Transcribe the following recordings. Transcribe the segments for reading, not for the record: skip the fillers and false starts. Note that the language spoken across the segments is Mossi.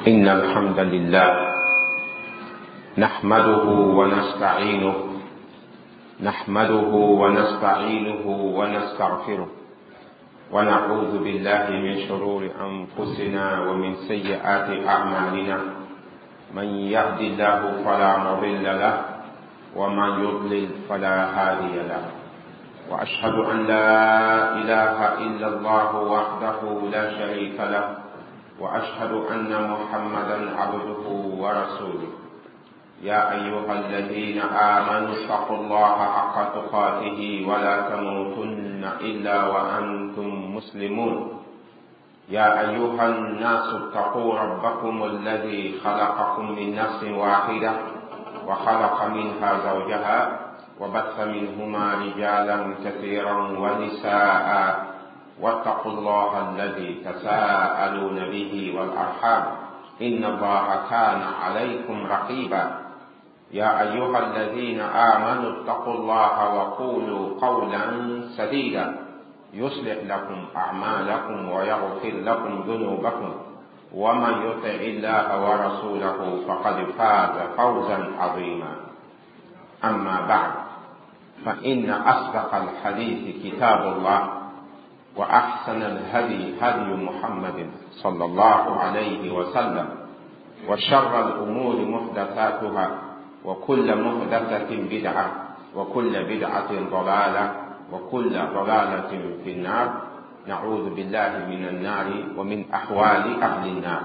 إن الحمد لله نحمده ونستعينه نحمده ونستعينه ونستغفره ونعوذ بالله من شرور أنفسنا ومن سيئات أعمالنا. من يهد الله فلا مضل له ومن يضلل فلا هادي له. وأشهد أن لا إله إلا الله وحده لا شريك له، وأشهد أن محمدا عبده ورسوله. يا أيها الذين آمنوا اتقوا الله حق تقاته ولا تموتن إلا وأنتم مسلمون. يا أيها الناس اتقوا ربكم الذي خلقكم من نفس واحدة وخلق منها زوجها وبث منهما رجالا كثيرا ونساء، واتقوا الله الذي تساءلون به والأرحام إن الله كان عليكم رقيبا. يا أيها الذين آمنوا اتقوا الله وقولوا قولا سديدا يصلح لكم أعمالكم ويغفر لكم ذنوبكم، ومن يطع الله ورسوله فقد فاز فوزا عظيما. أما بعد، فإن أصدق الحديث كتاب الله، وأحسن الهدي هدي محمد صلى الله عليه وسلم، وشر الأمور محدثاتها، وكل محدثة بدعة، وكل بدعة ضلالة، وكل ضلالة في النار. نعوذ بالله من النار ومن أحوال أهل النار.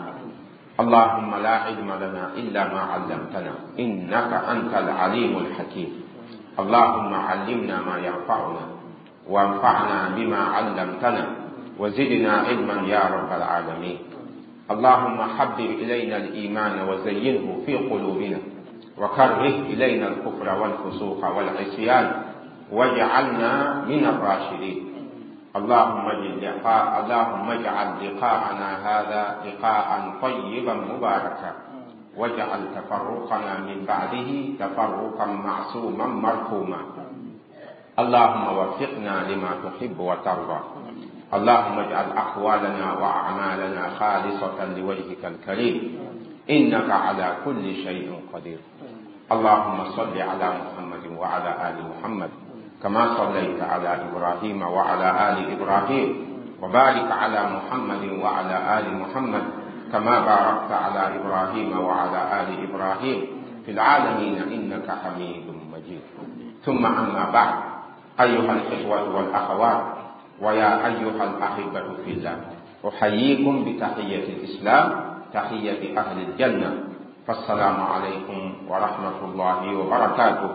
اللهم لا علم لنا إلا ما علمتنا إنك أنت العليم الحكيم. اللهم علمنا ما ينفعنا، وانفعنا بما علمتنا، وزدنا علما يا رب العالمين. اللهم حبب إلينا الإيمان وزينه في قلوبنا، وكره إلينا الكفر والفسوق والعصيان، واجعلنا من الراشدين. اللهم اجعل لقاءنا هذا لقاء طيبا مباركا، واجعل تفرقنا من بعده تفرقا معصوما مرحوما. اللهم وفقنا لما تحب وترضى. اللهم اجعل أقوالنا وأعمالنا خالصة لوجهك الكريم، إنك على كل شيء قدير. اللهم صل على محمد وعلى آل محمد كما صليت على إبراهيم وعلى آل إبراهيم، وبارك على محمد وعلى آل محمد كما باركت على إبراهيم وعلى آل إبراهيم في العالمين إنك حميد مجيد. ثم أما بعد، أيها الإخوة والأخوات، ويا أيها الأحبة في الله، أحييكم بتحية الإسلام، تحية أهل الجنة، فالسلام عليكم ورحمة الله وبركاته.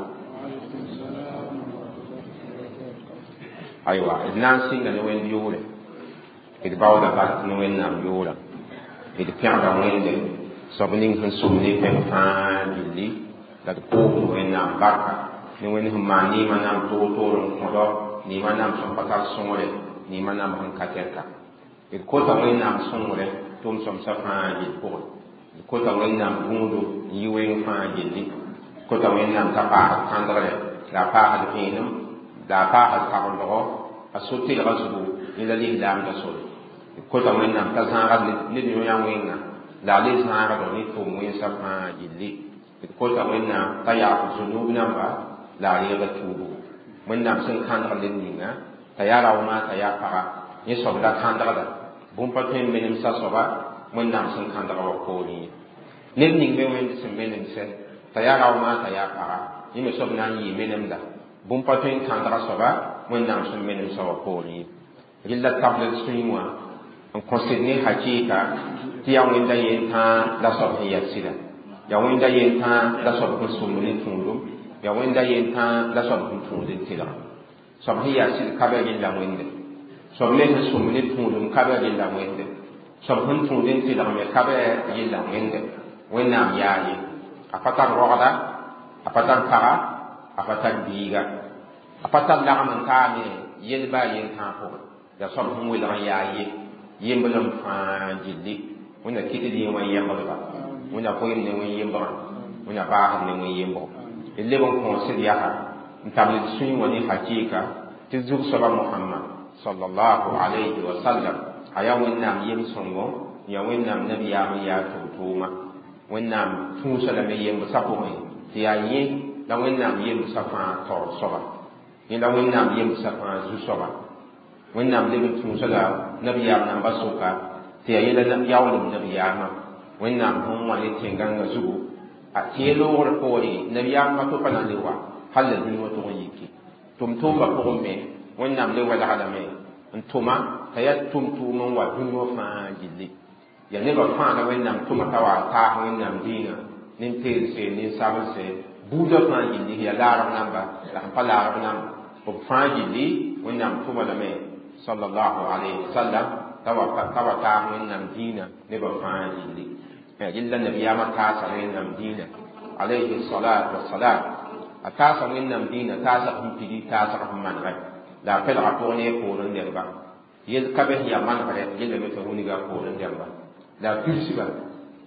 أيوة، الناس نوين يوري إدباودا بات نوين نام يورا إدبيعدا وين دي سبنين هنسومني بنفان اللي لدقوه نوين نام بركة نوين هم ما نيما نام توتور مدو نيما نام سنبتار سنوري نيما نام هنكاتركا إدكوتا وين نام سنوري توم سمسفان جلبوري إدكوتا وين نام بوندو يوين فان جلي كوتا وين نام تقاعد كاندري لا قاعد فينم لا قاعد كاندرو الصوتي غزبو إلى الإعلام رسول كوتا وين نام تزارد ندنيا وين لا ليس عرض نتوم وين سفان جلي كوتا وين نام تيار ذنوب نام لا يغتوبو وين نام سن كاندر لندنا تيار أو ما تيار فرا يسوع لا كاندر ده بوم باتين منم ساسوبا وين نام سن كاندر وكوني ندني وين سن منم سن تيار أو ما تيار فرا يمسوب ناني منم ده بوم باتين كاندر سوبا وين نام سن منم سوا كوني إلا تابلت سويموا أن كونسيدني حقيقة تيا وين دا ينتا لا سوب هي سيدا يا وين دا ينتا لا سوب كنسومني تونلو يا وين دا ينتا لا سوب كنتون تيلا سوب هي سيد كابل إلا وين ده سوب نه سومني تونلو كابل إلا وين ده سوب كنتون تيلا مي كابل إلا وين ده وين نام ياي أفتر رودا أفتر كارا أفتر بيغا أفتر لغم كامي يلبا ينتا فوق يا سوب هم ويلغ ياي يمبلم فانجلي ونا كيتدي وين يمبلغا ونا قويم ني وين يمبلغا ونا باخ ني وين يمبلغ اللي بون كونسيل ياها نتابل سوي وني حقيقة تزوج سبا محمد صلى الله عليه وسلم أيا وين نام يم سونغو يا وين نام نبي يا يا tʋʋma Wẽnnaam tũusa lame yembsã pʋgẽ tɩ yaa yẽ la Wẽnnaam yembsã fãa taoor soaba, yẽ la Wẽnnaam yembsã fãa zu-soaba. Wẽnnaam leb n tũusa la nabiyaam namba sʋka tɩ yaa yẽ la yaoolem nabiyaamã Wẽnnaam sẽn wã ne tẽn-gãngã zugu tɩ yẽ loogr poore nabiyaamã to pa na n le wa hal la dũni wã tʋg n yiki. Tʋm-tʋʋmbã pʋgẽ me Wẽnnaam le welga lame n tʋma t'a yaa tʋm-tʋʋm n wa dũni wã fãa gilli. Yaa nebã fãa la Wẽnnaam tʋma t'a wa taas Wẽnnaam dĩinã nin-teelse, nin-sabelse, buudã fãa gilli, yaa laarb namba la sẽn pa laarb namba, b fãa gilli Wẽnnaam tʋma lame sallallahu alayhi wa sallam t'a wa taas Wẽnnaam dĩinã nebã fãa gilli. Rɩlla nabiyaamã taasa Wẽnnaam dĩinã alayhi salatu wassalam, a taasa Wẽnnaam dĩinã taasg sẽn pidi, taasg sẽn manegɛ la a pɛlga pʋg ne a poorẽ dẽmba. Yel ka be sẽn yaa manegrɛ yellame t'a wilga a poorẽ dẽmba la a pidsba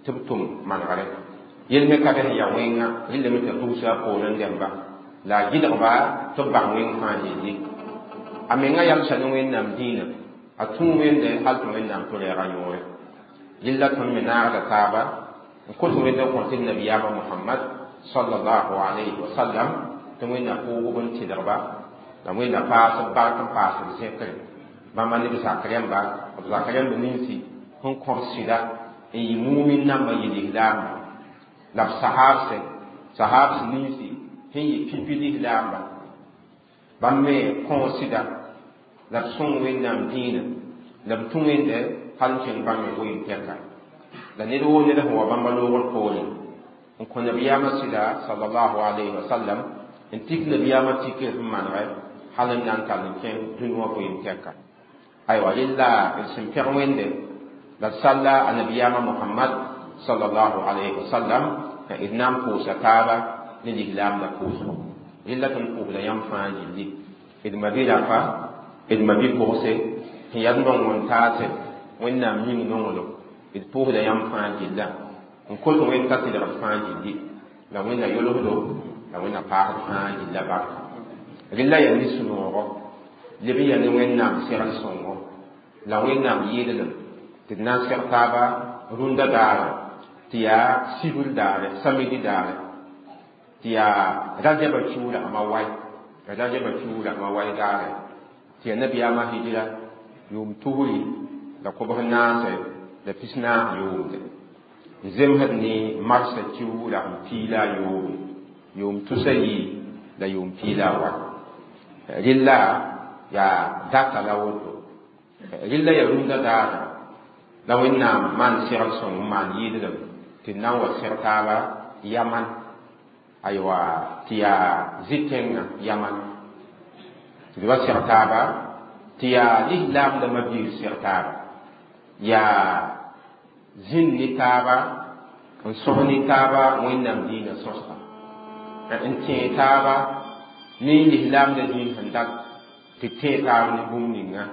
tɩ b tʋm manegrɛ. Yel me ka be sẽn yaa wẽnga yellame t'a dugsa a poorẽ dẽmba la a gɩdgba tɩ b bas wẽng fãa yelli. A menga yamsa ne Wẽnnaam dĩinã, a tũ Wẽnde hal tɩ Wẽnnaam tʋ reega yõore. Yella tõnd me naagda taaba n kõt Wẽnd n kõ tɩ nabiyaamã Mohamad sallallahu alayhi wa sallam tɩ Wẽnna pʋʋgb n tɩlgba la Wẽnna paas b bark n paas b zẽkre bãmba ne b zak rẽmba, b zak rẽmb ninsi sẽn kõb sɩda n yɩ mumin nambã yɩ lislaamba la b sahaabsɛ, sahaabs ninsi sẽn yɩ pipi lislaamba, bãmb me kõo sɩda la b sõng Wẽnnaam dĩinã la b tũ Wẽnde hal n kẽng bãmb me goeem tɛka. La ned woo ned sẽn wa bãmba loogr poorẽ n kõ nabiyaamã sɩda sallallahu alayhi wa sallam n tik nabiyaamã tikr sẽn manegɛ hal n na n tall n kẽng dũni wã goeem tɛka. Aywa, rella d sẽn pẽg Wẽnde la d salla a nabiyaamã Mohamad sallallahu alayhi wa sallam d na n pʋʋsa taaba ne lislaamdã pʋʋsgo. Rella tõnd pʋʋsda yãmb fãa gilli, d ma-bi-rapa, d ma-bi-pʋgse sẽn yaa d nong n taase Wẽnnaam yĩng nonglem, d pʋʋsda yãmb fãa gilla n kot Wẽnd t'a tɩlgd fãa gilli la Wẽnna yolsdo la Wẽnna paasd fãa gilla barka. Rella yaa nin-sũ-noogo leb n yaa ne Wẽnnaam segl sõngo la Wẽnnaam yɩɩdlem tɩ d na n seg taaba rũndã daare tɩ yaa sibr daare, samedi daare, tɩ yaa rajaba kiu ragma wai, rajaba kiu ragma wai daare tɩ yaa nabiyaamã hijra yʋʋm 214 yʋʋmde n zemsd ne marsã kiu ragm piila yoobe, yʋʋm tusa yi la yʋʋm piila wa. Rella yaa data la woto. Rella yaa rũndã daara la Wẽnnaam maan segl sõng n maan yɩɩdlem tɩ d na n wa seg taaba yaman, aywa, tɩ yaa zĩ-tẽngã yaman tɩ d wa seg taaba tɩ yaa lislaamdã mabiir seg taaba, yaa zĩnd ne taaba n sõs ne taaba Wẽnnaam dĩinã sõsga n tẽe taaba ne lislaamdã dĩin sẽn dat tɩ tẽe taab ne bũmb ninga.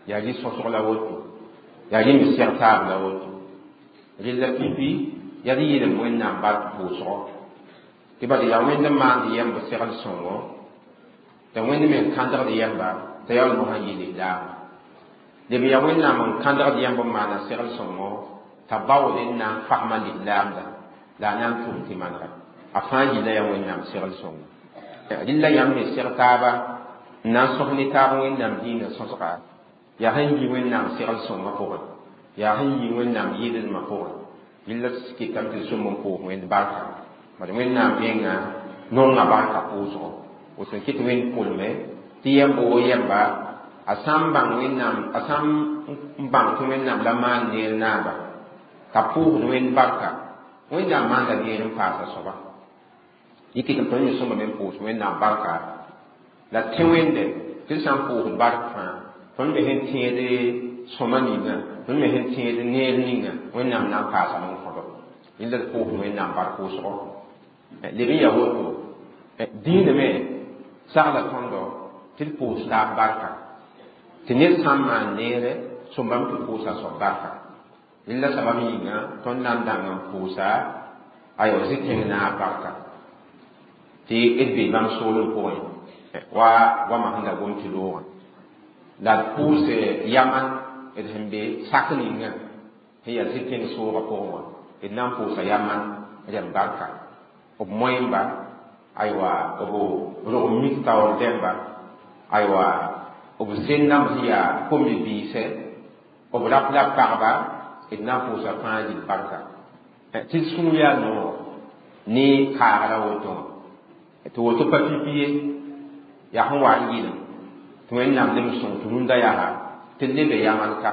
Yaa rɩ sõsg la woto, yaa rẽ me seg taab la woto. Rella pipi yaa d yɩlem Wẽnnaam bark pʋʋsgɔ tɩ bala yaa Wẽnd n maand yɛmb segl sõngo t'a Wẽnd me n kãndgd yɛmba t'a yaool mosã yɩ lislaamba. Leb yaa Wẽnnaam n kãndgd yɛmb n maana segl sõngo t'a baood n na n fasma lislaamda la a na n tʋm tɩ manega a fãa yilla yaa Wẽnnaam segl sõngo. Rella yãmb me seg taaba n na n sõs ne taab Wẽnnaam dĩinã sõsga yaa sẽn yi Wẽnnaam segl sõngã pʋgẽ, yaa sẽn yi Wẽnnaam yɩɩdlmã pʋgẽ. Rella kɩtame tɩ sõm n pʋʋs Wẽnd barka bad Wẽnnaam menga nonga barka pʋʋsgo woto n kɩt Wẽnd pʋlme tɩ yɛmb wo yɛmba a sã n bãng Wẽnnaam, a sã n bãng tɩ Wẽnnaam la maan neer naaba t'a pʋʋsd Wẽnd barka, Wẽnnaam maanda neer n paasa soaba. Yɩ kɩtame tõnd me sõma me n pʋʋs Wẽnnaam barka la tẽ Wẽnde tɩ d sã n pʋʋsd bark fãa tõnd me sẽn tẽed sõma ninga, tõnd me sẽn tẽed neer ninga Wẽnnaam na n paasame n kõdo. Rẽnda d pʋʋsd Wẽnnaam bark pʋʋsgo. Leb n yaa woto dĩinã me sagla tõndo tɩ d pʋʋs taab barka tɩ ned sã n maan neere sõmbame tɩ pʋʋsa soab barka. Rẽnda sabab yĩnga tõnd na n dãng n pʋʋsa aywa zĩ-tẽng naab barka tɩ d be bãmb soolem pʋgẽ wa goamã sẽn da gom tɩ loogã la d pʋʋs yaman d sẽn be sak ninga sẽn yaa zĩ-tẽng soogã pʋgẽ wã. D na n pʋʋsa yaman rẽmb barka b moẽmba, aywa, b rog mik taoor dẽmba, aywa, b zẽnnam sẽn yaa kom-bibiisɛ, b rap la pagba, d na n pʋʋsa fãa gill barka tɩ d sũur yaa noog ne kaagra woto wã tɩ woto pa pipi ye yaa sẽn wa n yɩlem tɩ Wẽnnaam leb n sõng tɩ rũndã yaa tɩ lebe yaman ka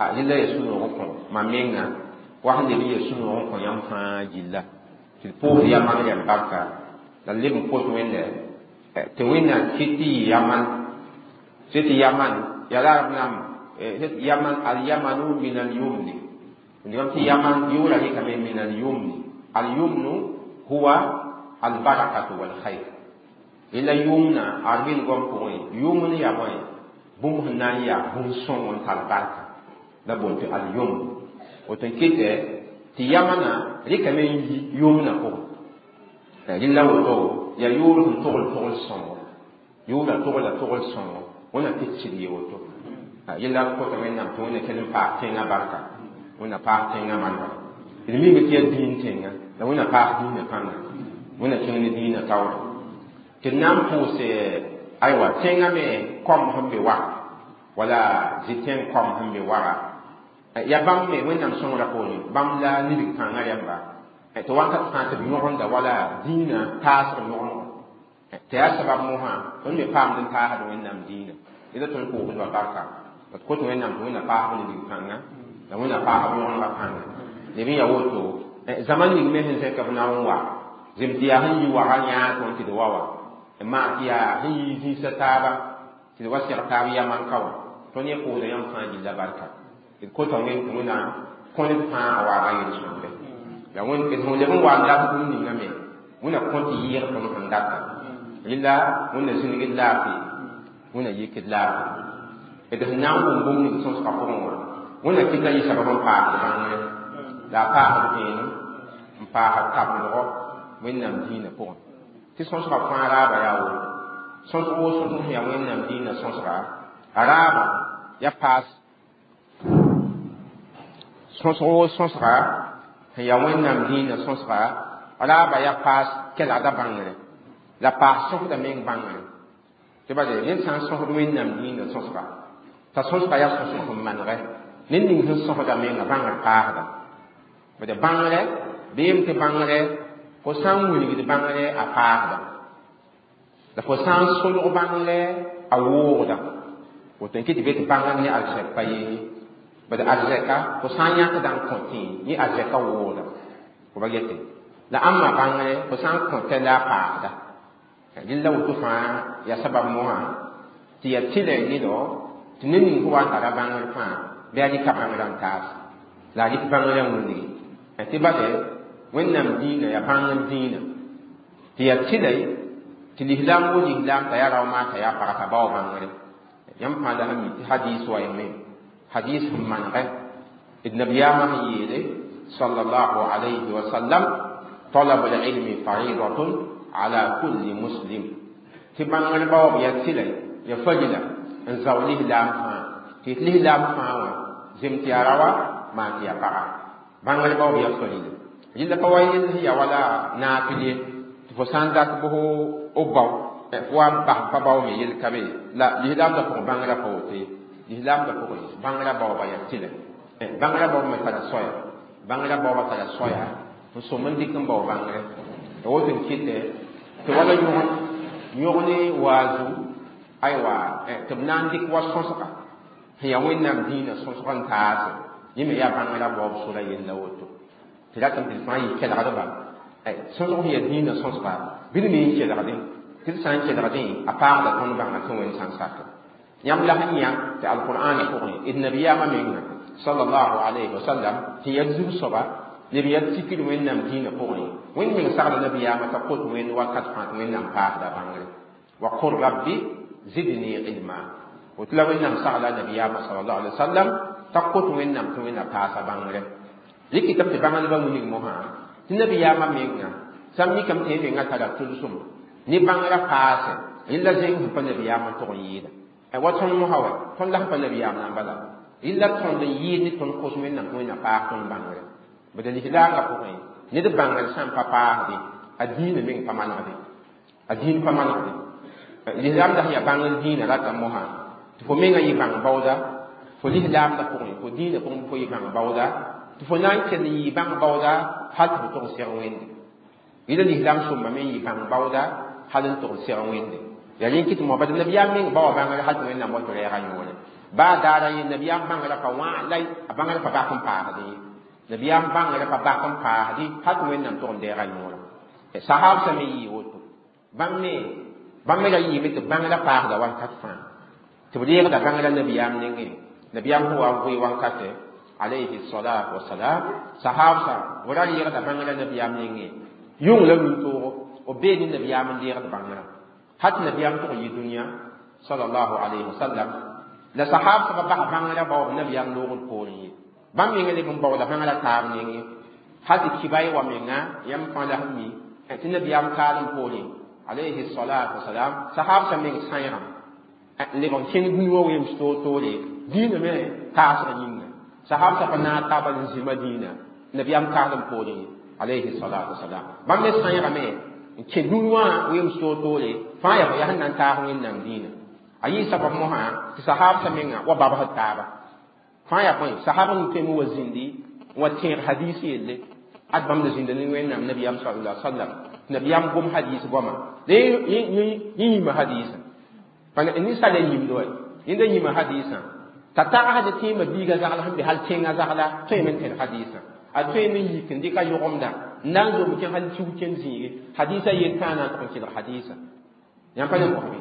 a rẽla ya sũ-noog n kõ mam menga wa sẽn leb n ya sũ-noog n kõ yãmb fãa gilla tɩ d pʋʋs yaman rẽmb barka la leb n kos Wẽnde tɩ Wẽnnaam kɩt tɩ yɩ yaman tɩ tɩ yaman yaa la b nam yaman al-yamanu min al-yumni ndɩgame tɩ yaman yʋʋra rɩkame min al-yumni al-yumnu huwa al-barakatu wal-khayr rẽla yʋmna arbil goam pʋgẽ yʋmn yaa bõe bũmb sẽn na n yaa bũn-sõng n tar barka la boon tɩ al-yumn woto n kɩtɛ tɩ yamana rɩkame n yi yʋmna pʋgẽ rẽla woto yaa yʋʋr sẽn togl togl sõngo yʋʋra togla togl sõngo wẽna tɩ sɩd ye woto yella kota Wẽnnaam tɩ Wẽnna kell n paas tẽngã barka Wẽnna paas tẽngã manegre d mime tɩ yaa dĩin tẽnga la Wẽnna paas dĩinã pãnga Wẽnna kẽng ne dĩinã taoore tɩ d na n pʋʋse aywa tẽngã me kom sẽn be waga wala zĩ-tẽng kom sẽn be waga yaa bãmb me Wẽnnaam sõngrã poorẽ bãmb la nidg kãngã rẽmba tɩ wakat fãa tɩ b yõgemda wala dĩinã taasg yõgemgo tɩ yaa sabab mosã tõnd me paamd n taasd Wẽnnaam dĩinã rẽla tõnd pʋʋsdba barka d kot Wẽnnaam tɩ Wẽnna paasb nidg kãnga la Wẽnna paasb yõgemga pãnga leb n yaa woto zãma ning me sẽn zẽk b na n wa zem tɩ yaa sẽn yi waga yãag tõnd tɩ d wa wa n maan tɩ yaa sẽn yi zĩisã taaba tɩ d wa seg taab yaman ka wã tõnd yẽ pʋʋsda yãmb fãa gilla barka d kota Wẽnd tɩ Wẽnna kõ ned fãa a waaga yel-sõmde la Wẽnd sẽn leb n wa n dat bũmb ninga me Wẽnna kõ tɩ yɩɩg tõnd sẽn data rẽla Wẽnna zĩnigd laafɩ Wẽnna yikd laafɩ d sẽn na n wʋm bũmb ning sõsgã pʋgẽ wã Wẽnna kɩta yɩ sabab n paasd bãngre la a paasd vẽenem n paasd tabendgɔ Wẽnnaam dĩinã pʋgẽ tɩ sõsgã fãa raaba yaa woto sõsg woo sõsg sẽn yaa Wẽnnaam dĩinã sõsga a raaba ya paas sõsg woo sõsga sẽn yaa Wẽnnaam dĩinã sõsga raaba ya paas kelgda bãngre la paas sõsda meng bãngre tɩ bale ned sã n sõsd Wẽnnaam dĩinã sõsga t'a sõsga yaa sõsg sẽn manegɛ ned ning sẽn sõsda menga bãngr paasda bade bãngre beem tɩ bãngre fo sã n wilgd bãngre a paasda la fo sã n solg bãngre a woogda woto n kɩ tɩ be tɩ bãngr ne arzɛk pa yee bad arzɛka fo sã n yãkda n kõ tẽe yẽ arzɛka woogda fo ba gete la ãmba bãngre fo sã n kõtɛ la a paasda rẽnd la woto fãa yaa sabab mosã tɩ yaa tɩlɛ nedɔ tɩ ned ning sẽn wa n tara bãngr fãa bɩ a rɩka bãngrã n taas la a rɩk bãngrã wilgi tɩ bale Wẽnnaam dĩinã yaa bãngr dĩinã tɩ yaa tɩlɛ tɩ lislaam wo lislaam t'a yaa rao maa t'a yaa paga t'a bao bãngre yãmb fãa la sẽn mi tɩ hadis wa yame hadis sẽn manegɛ d nabiyaamã sẽn yeele sallallahu alayhi wa sallam talab al-ilmi faridatun ala kulli muslim tɩ bãngr baoob yaa tɩlɛ yaa farila n zao lislaam fãa tɩ d lislaam fãa wã zem tɩ yaa raoa maan tɩ yaa paga bãngr baoob yaa farila rẽnda pa wa yell sẽn yaa wala naafɩl ye tɩ fo sã n dat bʋs o bao fo wa n bas pa bao me yell ka be la lislaamdã pʋgẽ bãngrã pa woto ye lislaamdã pʋgẽ bãngrã baooba yaa tɩlɛ bãngrã baoob me tara soaya bãngrã baooba tara soaya n sõm n dɩk n bao bãngre la woto n kɩtɛ tɩ wala yõg ne waazu aywa tɩ b na n dɩk wa sõsga sẽn yaa Wẽnnaam dĩinã sõsg n taase yẽ me yaa bãngrã baoob sora yella woto tɩ ratame tɩ d fãa yɩ kelgdba sõsg sẽn yaa dĩinã sõsga bɩ d me n kelgdẽ tɩ d sã n kelgdẽ a paagda tõnd bãnga tɩ Wẽnd sã n sak yãmb la sẽn yã tɩ alqur'an pʋgẽ d nabiyaamã menga sallallahu alayhi wa sallam tɩ yaa zug-soaba leb yaa tikr Wẽnnaam dĩinã pʋgẽ Wẽnd meng sagla nabiyaamã t'a kot Wẽnd wakat fãa tɩ Wẽnnaam paasda bãngre wa qul rabbi zidni ilma woto la Wẽnnaam sagla nabiyaamã sallallahu alayhi wa sallam t'a kot Wẽnnaam tɩ Wẽnna paasa bãngre rɩkɩtame tɩ bãngdbã wilg mosã tɩ nabiyaamã menga sã n mikame tɩ yẽ menga tara tʋlsem ne bãngrã paase rẽnd la zẽng sẽn pa nabiyaamã tʋg n yɩɩda wa tõnd mosã wa tõnd la sẽn pa nabiyaam na n bala rẽnd la tõnd n yɩɩd ne tõnd kos Wẽnnaam tɩ Wẽnna paas tõnd bãngre Bad lislaamã pʋgẽ ned bãngr sã n pa paasde a dĩinã meng pa manegde a dĩin pa manegde lislaam la sẽn yaa bãngr dĩinã rata mosã tɩ fo mengã yɩ bãng baooda fo lislaamdã pʋgẽ fo dĩinã pʋgẽ fo yɩ bãng baooda tɩ fo na n kell n yɩ bãng baooda hal tɩ fo tog n seg wẽnde yɩla lislaam sõmba me n yɩ bãng baooda hal n tog n seg wẽnde yaa rẽ kɩt mo bad nabiyaam meng baoa bãngr hal tɩ wẽnnaam wa tɩ rɛɛga yõore baa daara ye nabiyaam bãngrã pa wã la a bãngrã pa bak n paasdẽ ye nabiyaam bãngrã pa bak n paasdɩ hal tɩ wẽnnaam tog n deega yõora sahaabsã me yɩɩ woto bãmb me ra yɩɩme tɩ bãngrã paasda wakat fãa tɩ b reegda bãngrã nabiyaam nengẽ nabiyaam sẽn wa n vɩ wankatɛ alayhi salatu wasalam sahaabsã b ra reegda bãngrã nabiyaam nengẽ yʋng la rũn-toogo b bee ne nabiyaam n deegd bãngrã hal tɩ nabiyaam tog n yɩ dũniyã sallallahu alayhi wasallam la sahaabsã pa bas bãngrã baoob nabiyaam loogd poorẽ ye bãmb menga leb n baooda bãngrã taab nengẽ hal tɩ kibay wa menga yãmb fãa la sẽn mi tɩ nabiyaam kaalem poorẽ alayhi salatu wasalam sahaabsã meng sãeegame n leb n kẽng dũni wã weems toor-toore dĩinã me kaasg yĩnga sahaabsã pa naag taaba n zĩ madĩinã nabiyaam kaalem poorẽ alayhi salatu wasalam bãmb me sãeegame n kẽ dũni wã weems toor-toore fãa yaa yaa sẽn na n taas wẽnnaam dĩinã a yɩ sabab mosã tɩ sahaabsã menga wa babsd taaba fãa yaa bõe sahab n tõeme wa zĩndi n wa tẽeg hadiis yelle ad bãmb la zĩnda ne wẽnnaam nabiyaam sallallahu alaihi wasallam nabiyaam gom hadiis goama la yẽ yĩma hadiisã ninsaal yaa yĩmd wa yẽnda yĩma hadiisã t'a tagsd tẽemã biiga zagl sẽn be hal tẽngã zagla tõeme n tẽd hadiisã a tõeme n yik n dɩka yʋgemda n na n zom kẽ hal kiu kẽnd zĩige hadiisã yel tãa na n tʋg n kelg hadiisã yãmb pa ne mosbe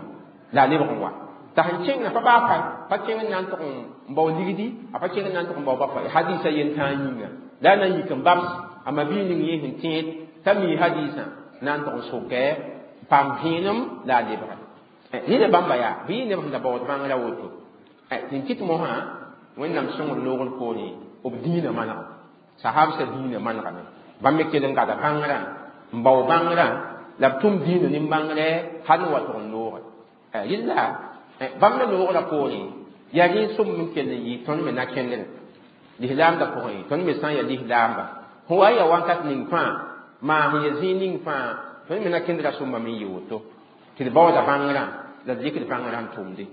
la a lebg n wa t'a sẽn kẽngã pa baa pa kẽng n na n tʋg n bao ligdi a pa kẽng n na n tʋg n bao ba hadiisã yel tãa yĩnga la a na n yik n babs a ma-bii ning yẽ sẽn tẽed t'a mi hadiisã na n tʋg n sokɛ paam vẽenem la a lebga ned bãmba yaa bɩ yɩ neb sẽn da baood bãngrã woto tɩ n kɩt mosã wẽnnaam sõngr loogr poorẽ b dĩinã manega sahabsã dĩinã manegame bãmb me kell n gada bãngrã n bao bãngrã la b tʋm dĩinã nin-bãngrɛ hal n wa tʋg n looge rɩlla bãmb me loogrã poorẽ yaa rẽ sõm n kell n yɩ tõnd me na kẽndrẽ lislaamdã pʋgẽ tõnd me sã n yaa lislaamba sẽn wa n yaa wakat ning fãa maa sẽn ya zĩig ning fãa tõnd me na kẽndrã sõmba me n yɩ woto tɩ d baooda bãngrã la d dɩkd bãngrã n tʋmde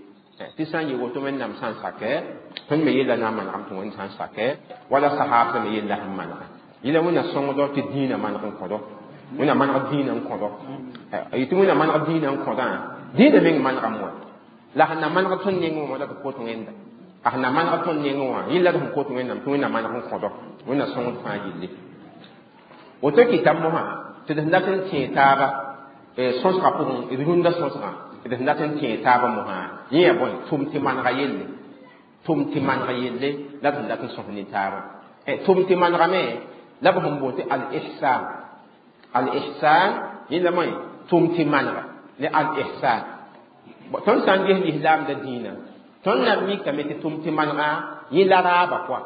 tɩ sã n yɩ woto wẽnnaam sã n sakɛ tõnd me yella na n manegame tɩ wẽnd sã n sakɛ wala sahaabsã me yella sẽn manega yẽla wẽnna sõngdɔ tɩ dĩinã maneg n kõdɔ wẽnna maneg dĩinã n kõdɔ tɩ wẽnna maneg dĩinã n kõdã dĩinã meng manegame wa la sẽn na maneg tõnd nengẽ wã la tɩ kot wẽnda a sẽn na maneg tõnd nengẽ wã yella d sẽn kot wẽnnaam tɩ wẽnna maneg n kõdɔ wẽnna sõngd fãa yelle woto kɩta mosã tɩ d sẽn dat n tẽe taaba sõsgã pʋgẽ d rũndã sõsgã d sẽn dat n tẽe taaba mosã yẽ yaa bõe tʋm tɩ manega yelle tʋm tɩ maneg yelle la d sẽn dat n sõs ne taaba tʋm tɩ manegame la b sẽn boond tɩ al-ihsan al-ihsan yẽla moe tʋm tɩ manega ne al-ihsan tõnd sã n ges lislaamda dĩinã tõnd na n mikame tɩ tʋm tɩ manega yẽ la raaba pʋa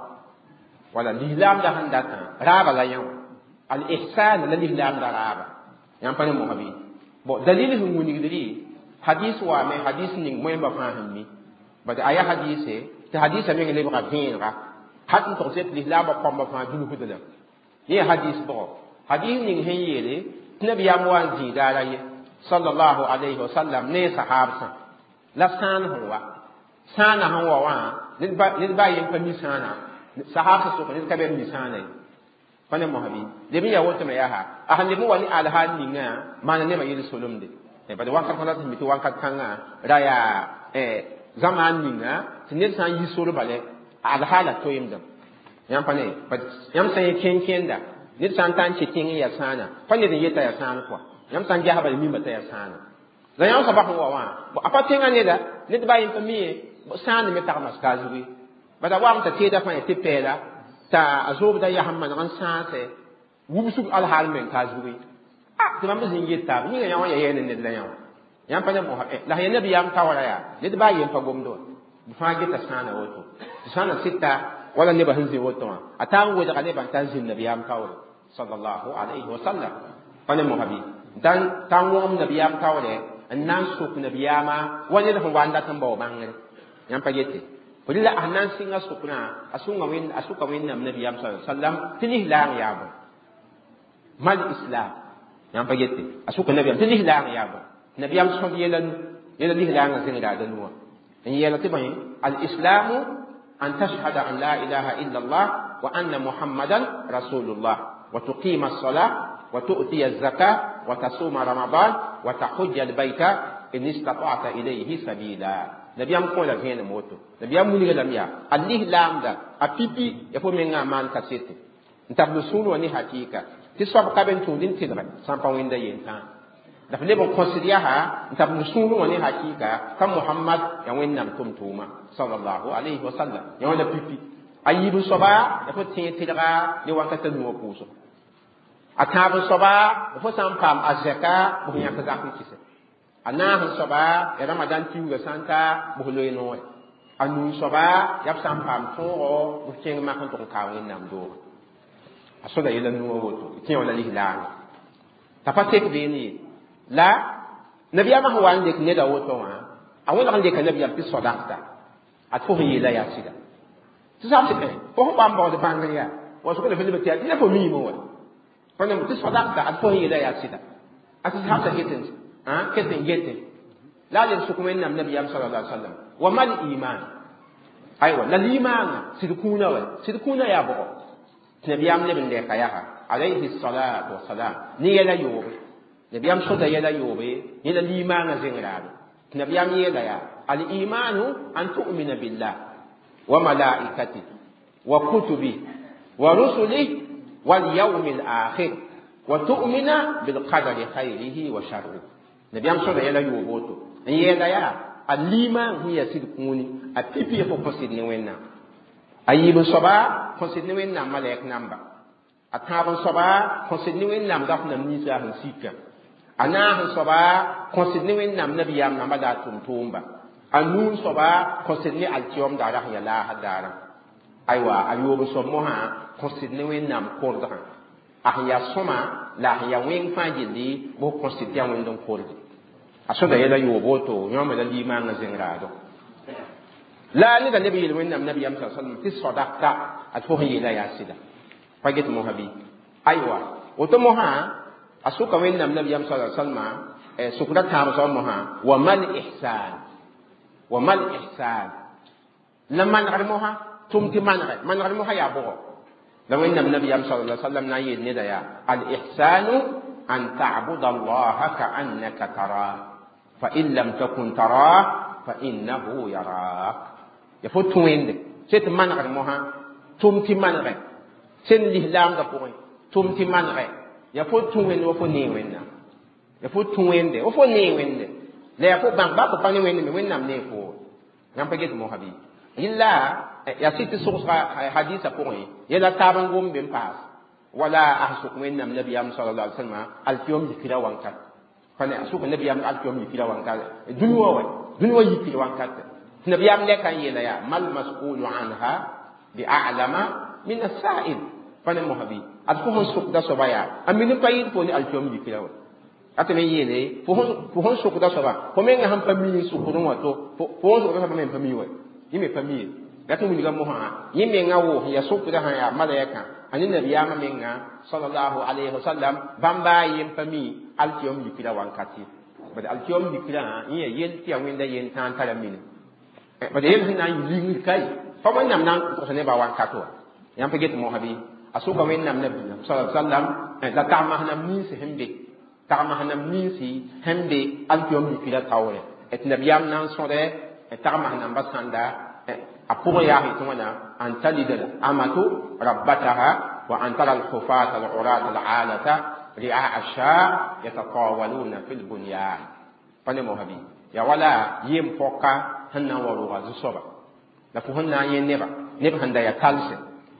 wala lislaamda sẽn datã raaba la yã wã al-ihsan la lislaamda raaba yãmb pa ne mosã bɩ bon dalil sẽn wilgdrɩ hadis waame hadis ning moẽmba fãa sẽn mi bad a yaa hadise tɩ hadisã meng lebga vẽenega hat n tog tɩ lislaambã kõmba fãa dulsd la yẽ hadis bʋgɔ hadis ning sẽn yeele tɩ nabiyaam wa n zĩig daara ye sallallahu alayhi wa sallam ne sahabsã la sãan sẽn wa sãana sẽn wa wã ned baa yen pa mi sãana sahabsã sʋka ned ka be mi sãana ye pa ne mosã bɩ leb n yaa woto me yaa a sẽn leb n wa ne alhaal ninga maana nebã yel solemde bad wakat kãngã tɩ mi tɩ wakat kãngã ra yaa zamaan ninga tɩ ned sã n yi sor bale alhaala toeemdame yãmb pa ne yãmb sã n yẽ kẽn-kẽnda ned sã n ta n kẽ tẽng n yaa sãana pa ned n yeta yaa sãan kɔa yãmb sã n gesba la mima t'a yaa sãana la yãmb soaba sẽn wa wã a pa tẽngã neda ned baa yen pa mi ye sãand me tagma ka zugu bad a wam t'a teeda fãa tɩ pɛɛla t'a a zoobda yaa sẽn maneg n sãasɛ wubsg alhaal meng ka zugu tɩ bãmb zĩng yet taab yĩnga yã wã ya yɛɛne ned la yã wã yãmb pa ne mosa la sẽn yaa nabiyaam taoora yaa ned baa yen pa gomd wã b fãa geta sãana woto tɩ sãana sɩta wala nebã sẽn zĩ woto wã a taa n wedga nebã n tar zĩnd nabiyaam taoore sallallahu alayhi wa sallam pa ne mosa bɩ t'a n wõgem nabiyaam taoore n na n sok nabiyaamã wa ned sẽn wa n dat n bao bãngre yãmb pa yete La a na n sɩnga sʋkrã a sʋka Wẽnnaam nabiyaam sa sallam tɩ lislaang yaa bõe mal islam yãmb pa gete a sʋka nabiyaam tɩ lislaang yaa bõe nabiyaam sõd yɛla nu yɛla lislaangã zẽng raada nuwã n yeela tɩ bõe al islamu an tashhada an la ilaha illa allah wa anna muhammadan rasulullah wa tuqima الصلاة وتؤتي الزكاة وتصوم رمضان وتحج البيت إن استطعت إليه سبيلا نبيام كون la vẽenem woto nabiyaam wilga lame yaa a lislaamda a pipi ya fo menga a maan kasete n tab sũur wã ne hakɩɩka tɩ soab ka be n tũud n tɩlgɛ sã n pa wẽnda yentã la f leb n kõsd yaa n tab sũur wã ne hakɩɩka ka Mohamad ya Wẽnnaam tʋm-tʋʋma sallallahu alayhi wa sallam ya wãna pipi a yiib n soaba ya fo tẽeg tɩlga ne wakata nuwã pʋʋsg a tãab n soaba fo sã n paam a zɛka bʋs yãk zak n kɩsɛ a naas n soaba ya Ramadan tiuugã sã n ta bʋs loe noore a nuu soaba yaa b sã n paam tõogo bʋs kẽng mak n tʋg n kaa Wẽnnaam doogã a soda yɛla nuwã woto tẽ wã la lislaanga t'a pa tek beene ye la nabiyaamã sẽn wa n lek neda woto wã a wẽneg n leka nabiyaam tɩ sodakta a fo sẽn yeela yaa sɩda tɩ sab tɩ fo sẽn wa n baood bãngr yaa wa sʋk la fo leb tɩ yaa tɩ fo miime wa fo nem tɩ sodakta ad fo sẽn yeela yaa sɩda a tɩ sabsa ket n gete la a leb sʋk Wẽnnaam nabiyaam sala alai sallam wa mal iman aywa la limaanga sɩd kũunã wa sɩd kũunã yaa bʋgɔ tɩ nabiyaam leb n lɛka yaa alayhi salatu wasalam ne yɛla yoobe nabiyaam sõda yɛla yoobe yẽla limaangã zẽng raabe tɩ nabiyaam yeela yaa al-imanu an tu'mina billah wa malaikati wa kutubi wa rusulih wal yawmi al-akhir wa tu'mina bil qadari khayrihi wa sharrihi nabiyaam sõda yɛla yoob woto n yeela yaa a limaang sẽn yaa sɩd kũuni a pipi fo kõ sɩd ne Wẽnnaam a yiib n soaba kõ sɩd ne Wẽnnaam malɛk namba a tãab n soaba kõ sɩd ne Wẽnnaam daf nam ninsã sẽn sika a naas n soaba kõ sɩd ne Wẽnnaam nabiyaam namba la a tʋm-tʋʋmba a nuu n soaba kõ sɩd ne alkiyom daara sẽn yaa laasã daarã aywa a yoob n soab mosã kõ sɩd ne Wẽnnaam kordgã a sẽn yaa sõma la a sẽn yaa wẽng fãa gilli bʋs kõ sɩd tɩ yaa wẽnd n korde a sõda yɛla yoob woto yõome la limaangã zẽng raado la neda leb yeel Wẽnnaam nabiyaam sa sallam tɩ sodakta ad fo sẽn yeela yaa sɩda pa get mosã bɩ aywa woto mosã a sʋka Wẽnnaam nabiyaam sa sallma sʋkda tãab soab mosã wa mal ihsan wa mal ihsan la manegd mosã tʋm tɩ manegɛ manegd mosã yaa bʋgɔ la Wẽnnaam nabiyaam sa sallam na n yeel neda yaa al ihsanu an ta'buda allaha ka'annaka tarah fa in lam takun tarah fa innahu yarak ya fo tũ wẽnde sẽn tɩ manegd mosã tʋm tɩ manegɛ sẽn lislaamdã pʋgẽ tʋm tɩ manegɛ ya fo tũ wẽnde wa fo nee Wẽnnaam ya fo tũ wẽnde wa fo nee Wẽnde la ya fo bãng ba fo pa ne Wẽnde me Wẽnnaam nee fo yãmb pa get mosã bɩ yella ya sɩd tɩ sogsga hadisa pʋgẽ yɛla taab n gom be n paas wala a sʋk Wẽnnaam nabiyaam sallallahu alaihi wasallam alkiyom yikra wankat pa ne a sʋk nabiyaam alkiyom yikra wankat dũni wã wa dũni wã yikr wankat tɩ nabiyaam lɛka n yeela yaa mal mas'ulu anha bi a'lama min as-sa'il pa ne mosã bɩ ad fo sẽn sʋkda soaba yaa a min n pa yɩɩd fo ne alkiyom yikra wa ate me yeele fo sẽn sʋkda soaba fo menga sẽn pa mi n sʋkdẽ wã to fo sẽn sʋkda soaba me pa mi wa yẽ me pa mi ye la tɩ wilga mosã yẽ menga wʋʋs ya sʋkda sã yaa malaɛkã a ne nabiyaamã menga sallallahu alayhi wa sallam bãmba a yen pa mi alkiyom yikra wankat ye bad alkiyom yikrã yẽ ya yel tɩ yaa wẽnda yen tãa n tara mine bad yel sẽn na n yɩ lingr kai pa Wẽnnaam na n tʋgs nebã wankat wa yãmb pa get mosã bɩ a sʋka Wẽnnaam nabiyaam sallallahu sallam la tagmas nam ninsi sẽn be tagmas nam ninsi sẽn be alkiyom yikra taoore tɩ nabiyaam na n sõdɛ tagmas namba sãnda a pʋgẽ yaa tɩ wãna an talida amatu rabbataha wa an tara alhufata alurata alalata ri'a asha yatatawaluna fi lbunyan pa ne mosã bɩ ya wala yem pɔka sẽn na n wa rʋga zu-soaba la fo sẽn na n yẽ neba neb sẽn da yaa talse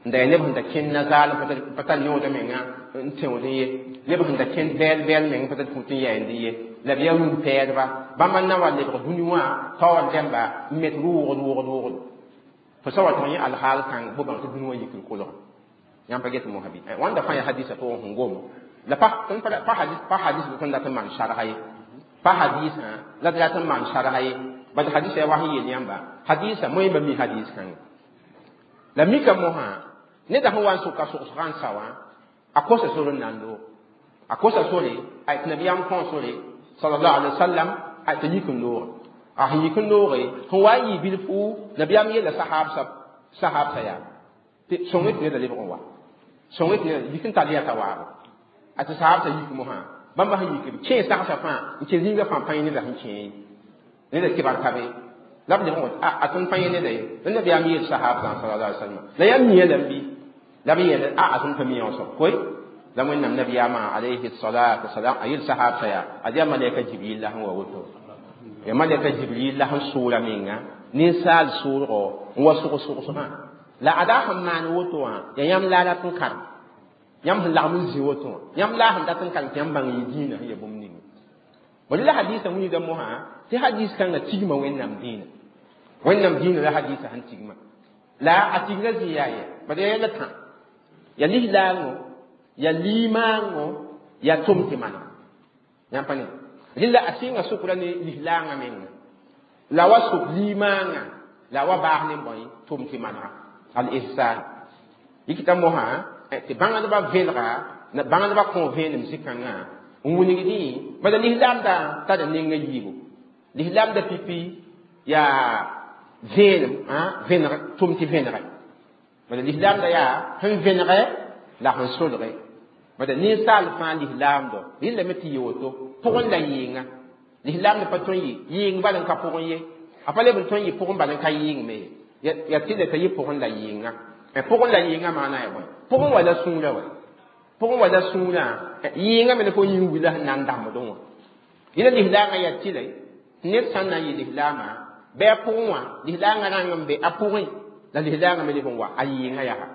n da yaa neb sẽn da kẽnd nazaal pa tar yõoda menga n tẽod ye neb sẽn da kẽnd vɛɛl vɛɛl meng pa tar fut n yɛɛnd ye la b yaa rũm-pɛɛdba bãmba n na wa lebg dũni wã taoor rẽmba n met rʋʋgd rʋʋgd rʋʋgd fo sa wa tɩg yẽ alhaal kãng fo bãng tɩ dũni wã yikr kolga yãmb pa get mosã bɩ wãnda fãa yaa hadisa pʋgẽ sẽn gom la pa hadis pa hadis tõnd dat n maan sarga ye pa hadisã la d rat n maan sarga ye Bad hadisa ya wahi yel yãmba hadisa moẽ ba mi hadis kãnga la mika mosã neda sẽn wa n sʋka sogsgã n sa wã a kosa sor n na n loog a kosa sore a tɩ nabiyaam kõ sore sallallahu alaihi wasallam a tɩ yik n looge a sẽn yik n looge sẽn wa n yɩ bilfu nabiyaam yeela sahaab sa yaa tɩ sõng tɩ neda lebg n wa sõng tɩ neda yik n tall yata waabo a tɩ sahaab sa yik mosã bãmba sẽn yik b kẽe sagsã fãa n kẽ zĩigã fãa pãe neda sẽn kẽe neda kɩbar ka be la b lebg n wa a tõnd pa yẽ neda ye la nabiyaam yeel sahaab sã sallallahu alaihi wasallam la yaa mia lam bɩ la b yeel a tõnd pa mia wã soab koy la wẽnnaam nabiyaamã alayhi salatu wasalam a yel sahaab sa yaa ad yaa malɛka jibril la sẽn wa woto ya malɛka jibril la sẽn sʋʋra menga ninsaal sʋʋlgo n wa sʋg-sʋgsgã la ada sẽn maan woto wã yaa yãmb la rat n karem yãmb sẽn lagm n zĩ woto wã yãmb la sẽn dat n karem tɩ yãmb bãng yɩ dĩinã sẽn ya bũmb ninga bõe la hadisa wilgda mosã tɩ hadis kãngã tigma wẽnnaam dĩinã wẽnnaam dĩinã la hadisa sẽn tigma la a tigrã zĩ yaa yɛ bad yaa yɛla tã ya lislaango ya limaango ya tʋm tɩ maneg yãmb pa ne rɩla a sɩnga sʋkra ne lislaangã menga la wa sʋk limaangã la wa baas ne bõe tʋm tɩ manega al ihsan yikita mosã tɩ bãngdbã vẽlga bãngdbã kõ vẽenem zĩ-kãngã n wilgdẽ bala lislaamda tara nenga yiibu lislaamda pipi yaa vẽenem vẽneg tʋm tɩ vẽnege bala lislaamda yaa sẽn vẽnege la sẽn solge bala ninsaal fãa lislaamdo rɩlame tɩ yɩ woto pʋgẽ la yɩɩnga lislaamda pa tõe n yɩ yɩɩng bal n ka pʋgẽ ye a pa leb n tõe n yɩ pʋgẽ bal n ka yɩɩng me ye ya tɩ t'a yɩ pʋgẽ la yɩɩnga pʋgẽ la yɩɩnga maana ya bõe pʋgẽ wa la sũurã wa pʋgẽ wa la sũurã yɩɩnga me ne fo yĩng wila sẽn na n dãmbdẽ wã yẽla lislaangã yaa tɩla ned sã n na n yɩ lislaamã bɩ a pʋgẽ wã lislaangã rãng n be a pʋgẽ la lislaangã me leb n wa a yɩɩngã yaa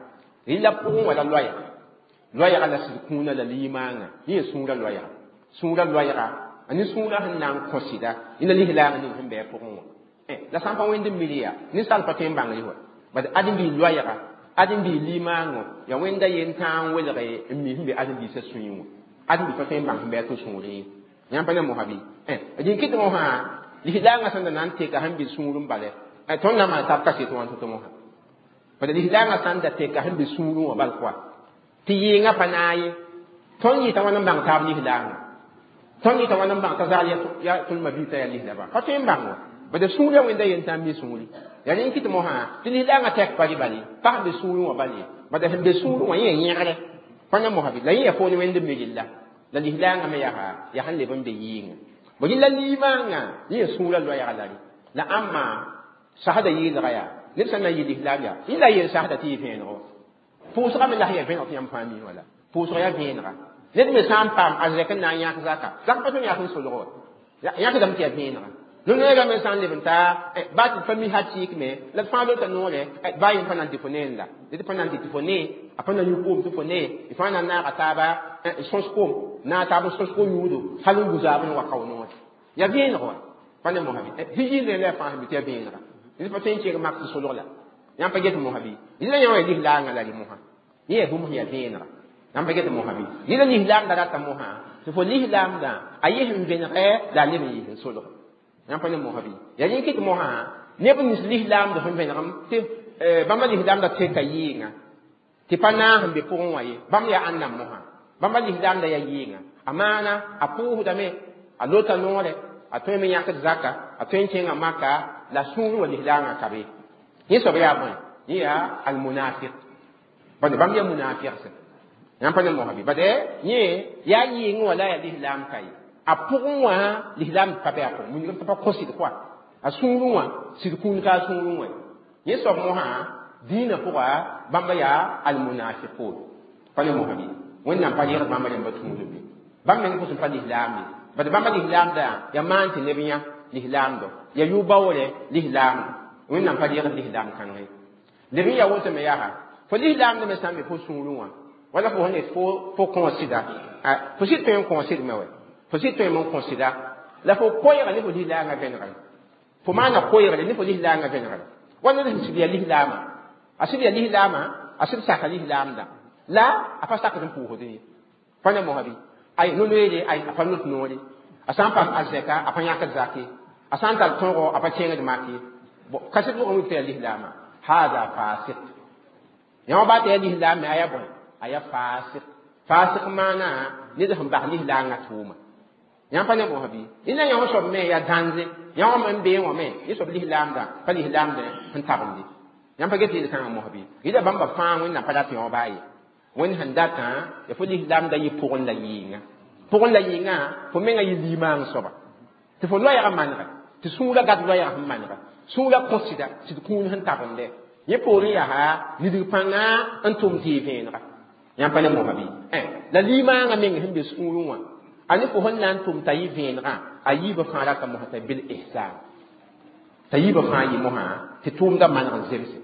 rɩla pʋgẽ wa la loɛɛga loɛɛga la sɩd kũunã la limaangã yẽ sũurã loɛɛga sũurã loɛɛga a ne sũurã sẽn na n kõ sɩda yẽla lislaangã ning sẽn bɩ a pʋgẽ wã la sã n pa wẽnd n mil yaa ninsaal pa tõe n bãng wã bad ãdem-biig loɛɛga ãdem-biig limaangõ yaa wẽnda yen tãa n welge n mi sẽn be ãdem-biisã sũyẽ wã ãdem-biig pa tõe n bãng sẽn bɩ a tɩ sũurẽ ye yãmb pa ne mosã bɩ rĩn kɩt mosã lislaangã sẽn da na n teka sẽn be sũurẽ bala tõnd na maan tab kaset wã tɩ mosã bala lislaangã sã n da teka sẽn be sũurẽ wã bal koa tɩ yɩɩngã pa naag ye tõnd yɩta wãn n bãng taab lislaangã tõnd yɩta wãn n bãng t'a zagl yaa tõnd mabiisã yaa lislaba pa tõe n bãng wa bala sũurã wẽnda yen tã n mi sũuri yaa rẽn kɩt mosã tɩ lislaangã tɛk pa rɩ bal ye pa sẽn be sũurẽ wã bal ye bala sẽn be sũurẽ wã yẽ yẽgre pa na mosã bɩ la yẽ yaa foone wẽnd n mi rella la lislaangã me yaa sẽn leb n be yɩɩngã bõ rɩla limaangã yẽ sũurã loɛɛga la rɩ la ãmma sasda yɩɩlga yaa ned sã n na n yɩ lislaam yaa yẽ la yel sasda tɩ yɩ vẽenego pʋʋsga me la sẽn yaa vẽeneg tɩ yãmb fãa mi wala pʋʋsg yaa vẽenega ned me sã n paam a zɛk n na n yãk zaka zak pa tõe n yãk n solgo wa yãkdame tɩ yaa vẽenega no-noeegã me sã n leb n taa baa tɩ pa mi ha tɩɩk me la d fãa lota noore baa yẽ pa na n tɩ fo nee la d pa na n tɩ tɩ fo nee a pa na yũ koom tɩ fo nee y fãa na n naaga taaba n sõs koom naag taab n sõs ko-yũudo hal n gu-zaab n wa kao noore yaa vẽeneg wa pa ne mosã bɩ yɩɩl la fãa sẽn be tɩ yaa vẽenega d pa tõe n kẽeg mak tɩ solg la yãmb pa get mosã bɩ yẽla yã wã ya lislaangã la rɩ mosã yẽ yaa bũmb sẽn yaa vẽenega yãmb pa get mosã bɩ yẽla lislaamda rata mosã tɩ fo lislaamdã a yɩs n vẽnegɛ la a leb n yɩs n solg yãmb pa ne mosã bɩ yaa rẽ kɩt mosã neb nins lislaamd sẽn vẽnegem tɩ bãmba lislaamda teka yɩɩngã tɩ pa naag sẽn be pʋgẽ wã ye bãmb yaa ãnnam mosã bãmba lislaamda yaa yɩɩngã a maana a pʋʋsdame a lota noore a tõe me yãkd zaka a tõe n kẽnga maka la sũur wa lislaangã ka be yẽ soab yaa bõe yẽ yaa almunafiq bade bãmb yaa munafiqsẽ yãmb pa ne mosã bɩ bade yẽ yaa yɩɩngẽ wã la yaa lislaam ka ye a pʋgẽ wã lislaam pa be a pʋgẽ wilgem t'a pa kõ sɩd koa a sũurẽ wã sɩd kũun ka a sũurẽ wã yẽ soab mosã dĩinã pʋga bãmba yaa almunafiqun pa ne mosã bɩ wẽnnaam pa yẽgd bãmba rẽmba tũudum ye bãmb meng pʋsẽ pa lislaam ye bad bãmba lislaamda yaa maan tɩ neb yã lislaamdo yaa yʋ-baoore lislaamdo wẽnnaam pa yẽgd lislaam kãngẽ leb n yaa woto me yaa fo lislaamd me sã n be fo sũurẽ wã wala fo sẽn yet fo kõ sɩda fo sɩd tõe n kõ sɩd me wɛ fo sɩd tõe n kõ sɩda la fo koɛɛga ne fo lislaangã vẽnegre fo maana koɛɛgre ne fo lislaangã vẽnegre wa ned sẽn sɩd yaa lislaamã a sɩd yaa lislaamã a sɩd saka lislaamda la a pa sakd n pʋʋsd ye pa ne mosã bɩ ay no-noeere ay a pa not noore a sã n paam a zɛka a pa yãkd zake A sã n tar tõogo, a pa kẽngd mak ye. Kaset pʋgẽ wik tɩ yaa lislaamã, hada fasik. Yã ba tɩ yaa lislaam me, a yaa bõe? A yaa fasik. Fasik maana ned sẽn bas lislaangã tʋʋma. Yãmb pa ne mosã bɩ? Rẽnda yã soab me yaa dãnze. Yã wã me n beẽ wã me, yẽ soab lislaamdã pa lislaamdẽ sẽn tabende. Yãmb pa get yel-kãngã mosã bɩ? Rɩla bãmba fãa Wẽnnaam pa rat yõ baa ye. Wẽnd sẽn datã, ya fo lislaamdã yɩ pʋgẽ la yɩɩnga. Pʋgẽ la yɩɩngã, fo menga yɩ limaang soaba. Tɩ fo loɛɛgã manega, tɩ sũurã gat loɛɛgã sẽn manega. Sũurã kõ sɩda, tɩ d kũun sẽn tabende. Yẽ poorẽ yaa nidg pãnga n tʋm tɩ yɩ vẽenega. Yãmb pa ne mosã bɩ? La limaangã meng sẽn be sũurẽ wã, a ne fo sẽn na n tʋm t'a yɩ vẽenegã, a yiibã fãa rata mosã t'a bil ihsan. T'a yiibã fãa yɩ mosã tɩ tʋʋmdã maneg n zemse.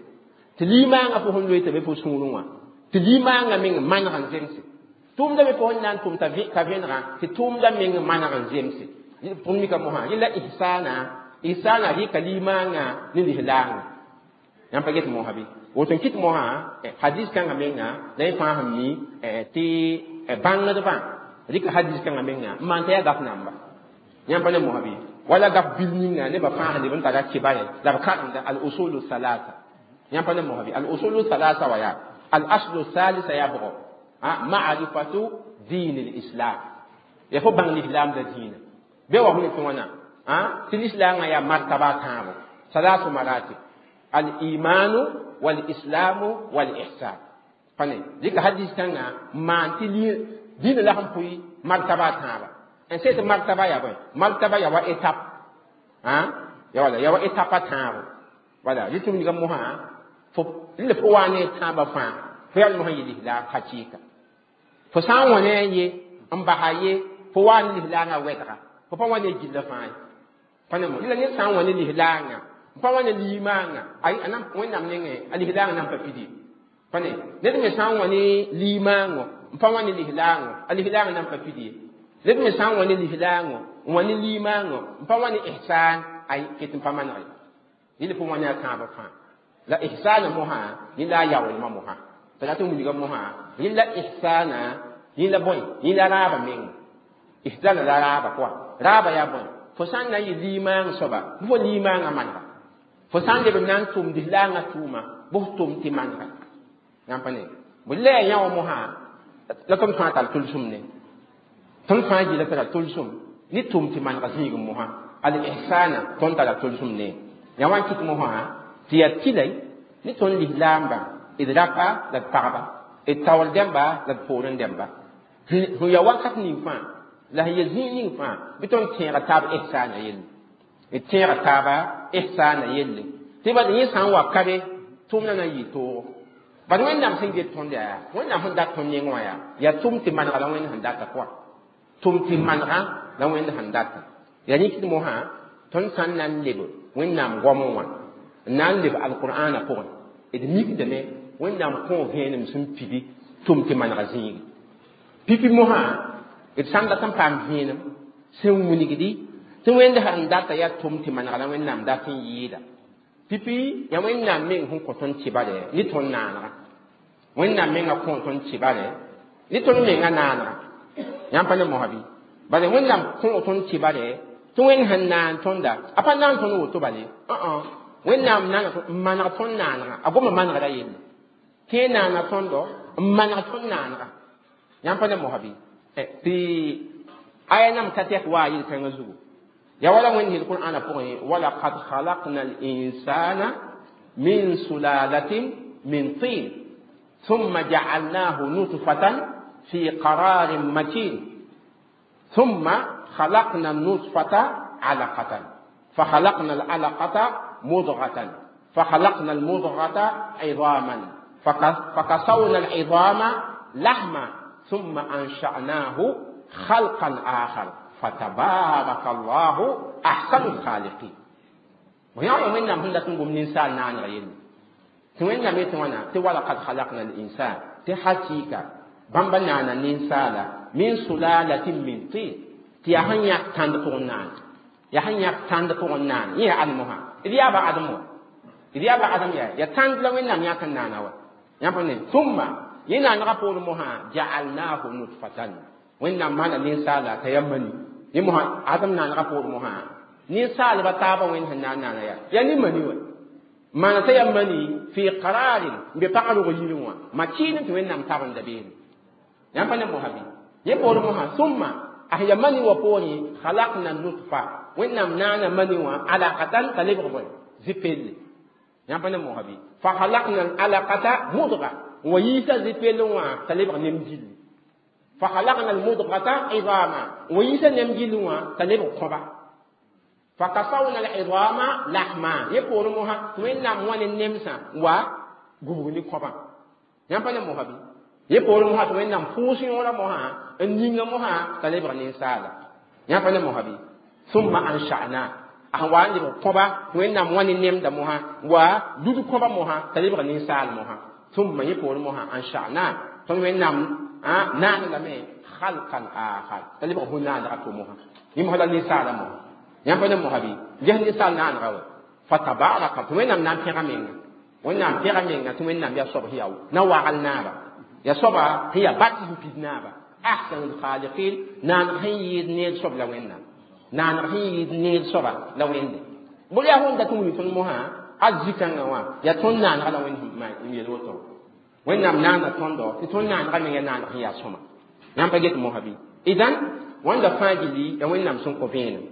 Tɩ limaangã fo sẽn loe t'a be fo sũurẽ wã, tɩ limaangã meng maneg n zemse. Tʋʋmdã me fo sẽn na n tʋm t'a vẽenegã, tɩ tʋʋmdã meng maneg n zemse. Tõnd mika mosã, yẽ la ihsana, ihsana rɩka limaangã ne lislaangã. Yãmb pa get mosã bɩ? Woto n kɩt mosã, hadis kãngã menga, la yẽ fãa sẽn mi tɩ bãngdbã rɩka hadis kãngã menga n maan t'a yaa gaf namba. Yãmb pa ne mosã bɩ? Wala gaf bil ninga nebã fãa sẽn leb n tara kibare la b karemda al usulu salasa. Yãmb pa ne mosã bɩ? Al usulu salasa wa yaa al aslu salisa yaa bʋgɔ ma'rifatu din al islam. Ya fo bãng lislaam la dĩinã. Be wa hũni tɩ wãna tɩ lislaangã yaa martaba tãabo, salasu maratib: al imanu wal islamu wal ihsan. Pa ne dɩka hadis kãngã n maan tɩ dĩinã la sẽn pʋɩ martaba tãaba. N sẽd martaba yaa bõe? Martaba yaa wa étape, ya wala yaa wa étape a tãabo. Wala rɩ tɩ wilga mosã fo la fo wa ne tãabã fãa fo yaa mosã yɩ lislaam hakɩɩka. Fo sã n wã ne a ye n basa ye, fo wa ne lislaangã wɛdga, fo pa wa ne gilla fãa ye. Pa ne mo la ned sã n wã ne lislaangã, n pa wa ne limaangã, ay a nan Wẽnnaam nengẽ a lislaangã nan pa pidi. Pa ne ned me sã n wã ne limaangõ, n pa wa ne lislaangõ, a lislaangã nan pa pidi. Ned me sã n wã ne lislaangõ, n wã ne limaangõ, n pa wa ne ihsan, ay ket n pa maneg ye. Yẽl fo wã ne a tãabã fãa. La ihsana mosã, yẽ la a yaoolmã mosã. T'a rat n wilga mosã, yẽ la ihsana, yẽ la bõe? Yẽ la raabã meng. Ihsana la raabã pʋga. Raabã yaa bõe? Fo sã n na n yɩ limaang soaba, bɩ fo limaangã manega. Fo sã n leb n na n tʋm lislaangã tʋʋma, bɩ f tʋm tɩ manega. Yãmb pa ne? Bõ la yaa yã wã mosã, la tõnd fãa tar tʋlsem ne. Tõnd fãa gɩla tara tʋlsem ne tʋm tɩ manega zĩigẽ mosã. Al ihsana tõnd tara tʋlsem ne. Yã wa n kɩt mosã tɩ yaa tɩlay ne tõnd lislaambã, d rapa la d pagba, d taoor dẽmba la d poorẽ dẽmba. Sẽn yaa wakat ning fãa la sẽn ya zĩig ning fãa, bɩ tõnd tẽega taab ihsana yelle. D tẽega taaba ihsana yelle. Tɩ bad yẽ sã n wa ka be, tʋʋmdã na n yɩ toogo. Bad Wẽnnaam sẽn get tõnd yaa, Wẽnnaam sẽn dat tõnd neng wã yaa tʋm tɩ manega la Wẽnd sẽn data pʋga. Tʋm tɩ manega la Wẽnd sẽn data. Yaa yẽ kɩt mosã, tõnd sã n na n leb Wẽnnaam goamẽ wã, n na n leb alqur'ana pʋgẽ, d mikdame Wẽnnaam kõ vẽenem sẽn pidi tʋm tɩ manega zĩigi. Pipi mosã, d sã n dat n paam vẽenem sẽn wilgdi tɩ Wẽnd sãn data yaa tʋm tɩ manega la Wẽnnaam dat n yɩɩda. Pipi yaa Wẽnnaam meng sẽn kõ tõnd kibare ne tõnd naanega. Wẽnnaam mengã kõ tõnd kibare ne tõnd menga naanega. Yãmb pa ne mosã bɩ? Bala Wẽnnaam kõ tõnd kibare tɩ Wẽnd sẽn naan tõnda, a pa naan tõnd woto bale. Wẽnnaam naana n maneg tõnd naanega, a goma manegda yelle. Tɩ naana tõndo n maneg tõnd naanega. Yãmb pa ne mosã bɩ? Tɩ aya nam ka tɛk waa yel-kãngã zugu. Ya wala Wẽnd yel Qur'ana pʋgẽ, walaqad khalaqna al-insana min sulalatin min tin thumma ja'alnahu nutfatan fi qararin makin thumma khalaqna an-nutfata 'alaqatan fa khalaqna al-'alaqata mudghatan fa khalaqna al-mudghata 'idhaman fa kasawna al- 'idhama lahma thumma ansha'nahu khalqan akhar fatabaraka Allahu ahsanul khaliqin. Yã Wẽnnaam sẽn dat n gom ninsaal naanega yelle. Tɩ Wẽnnaam yetɩ wãna tɩ walaqad khalaqna al-insan, tɩ hakɩɩka bãmba naana ninsaala min sulalatin min tin, tɩ yaa sẽn yãk tãnd pʋgẽ naan. Yaa sẽn yãk tãnd pʋgẽ naan. Yẽ yaa Adem wã. D yaa ba Adem wã. D yaa ba Adem yaa. Yaa tãnd la Wẽnnaam yãk n naana wa. Yãmb pa ne? Thumma yẽ naanegã poorẽ mosã ja'alnahu nutfatan. Wẽnnaam maana ninsaala t'a yaa mani. Yẽ mosã Adem naanegã poorẽ mosã Ninsaalba taabã wẽnd sẽn na n naana yaa yaa ne mani wã maana t'a yaa mani fi qararin n be pag rog yirẽ wã makiin tɩ wẽnnaam tab n da beene yãmb pa ne mosã bɩ yẽ poorẽ mosã summa a sẽn yaa mani wã poorẽ khalaqna nutfa wẽnnaam naana mani wã alaqatan t'a lebg bõe zipelle yãmb pa ne mosã bɩ fa khalaqna alaqata mudga wa yiisa zipelle wã t'a lebg nem gilli fa khalaqna almudgata idama wa yiisa nem gilli wã t'a lebg kõba fa kasawna alidama lahma yẽ poorẽ mosã tɩ wẽnnaam wã ne nemsã wa gubg ne kõbã yãmb pa ne mosã bɩ yẽ poorẽ mosã tɩ wẽnnaam pʋʋs yõora mosã n ninga mosã t'a lebg ninsaala yãmb pa ne mosã bɩ summa ansha'na a sẽn wa n lebg kõba tɩ wẽnnaam wã ne nemda mosã wa lud kõba mosã t'a lebg ninsaal mosã summa yẽ poorẽ mosã ansha'na tõnd wẽnnaam naan lame khalqan akhar t'a lebg bõn-naanega to mosã yẽ mosã la ninsaala mosã yãmb pa ne mosã bɩ ges ninsaal naanega wa fatabaraka tɩ wẽnnaam na n pẽga menga wẽnnaam pẽga menga tɩ wẽnnaam yaa soab sẽn yaa na wagl naaba yaa soaba sẽn yaa bat sẽn pid naaba ahsanul khaliqin naaneg sẽn yɩɩd neer soab la wẽnnaam naaneg sẽn yɩɩd neer soaba la wẽnde bõe yaa wẽnd dat n wilg tõnd mosã a zikãngã wã yaa tõnd naanega la wẽnd n yel woto wẽnnaam naana tõndo tɩ tõnd naanega meng yaa naaneg sẽn yaa sõma yãmb pa get mosã bɩ idan wãnda fãa gilli yaa wẽnnaam sẽn kõ vẽenem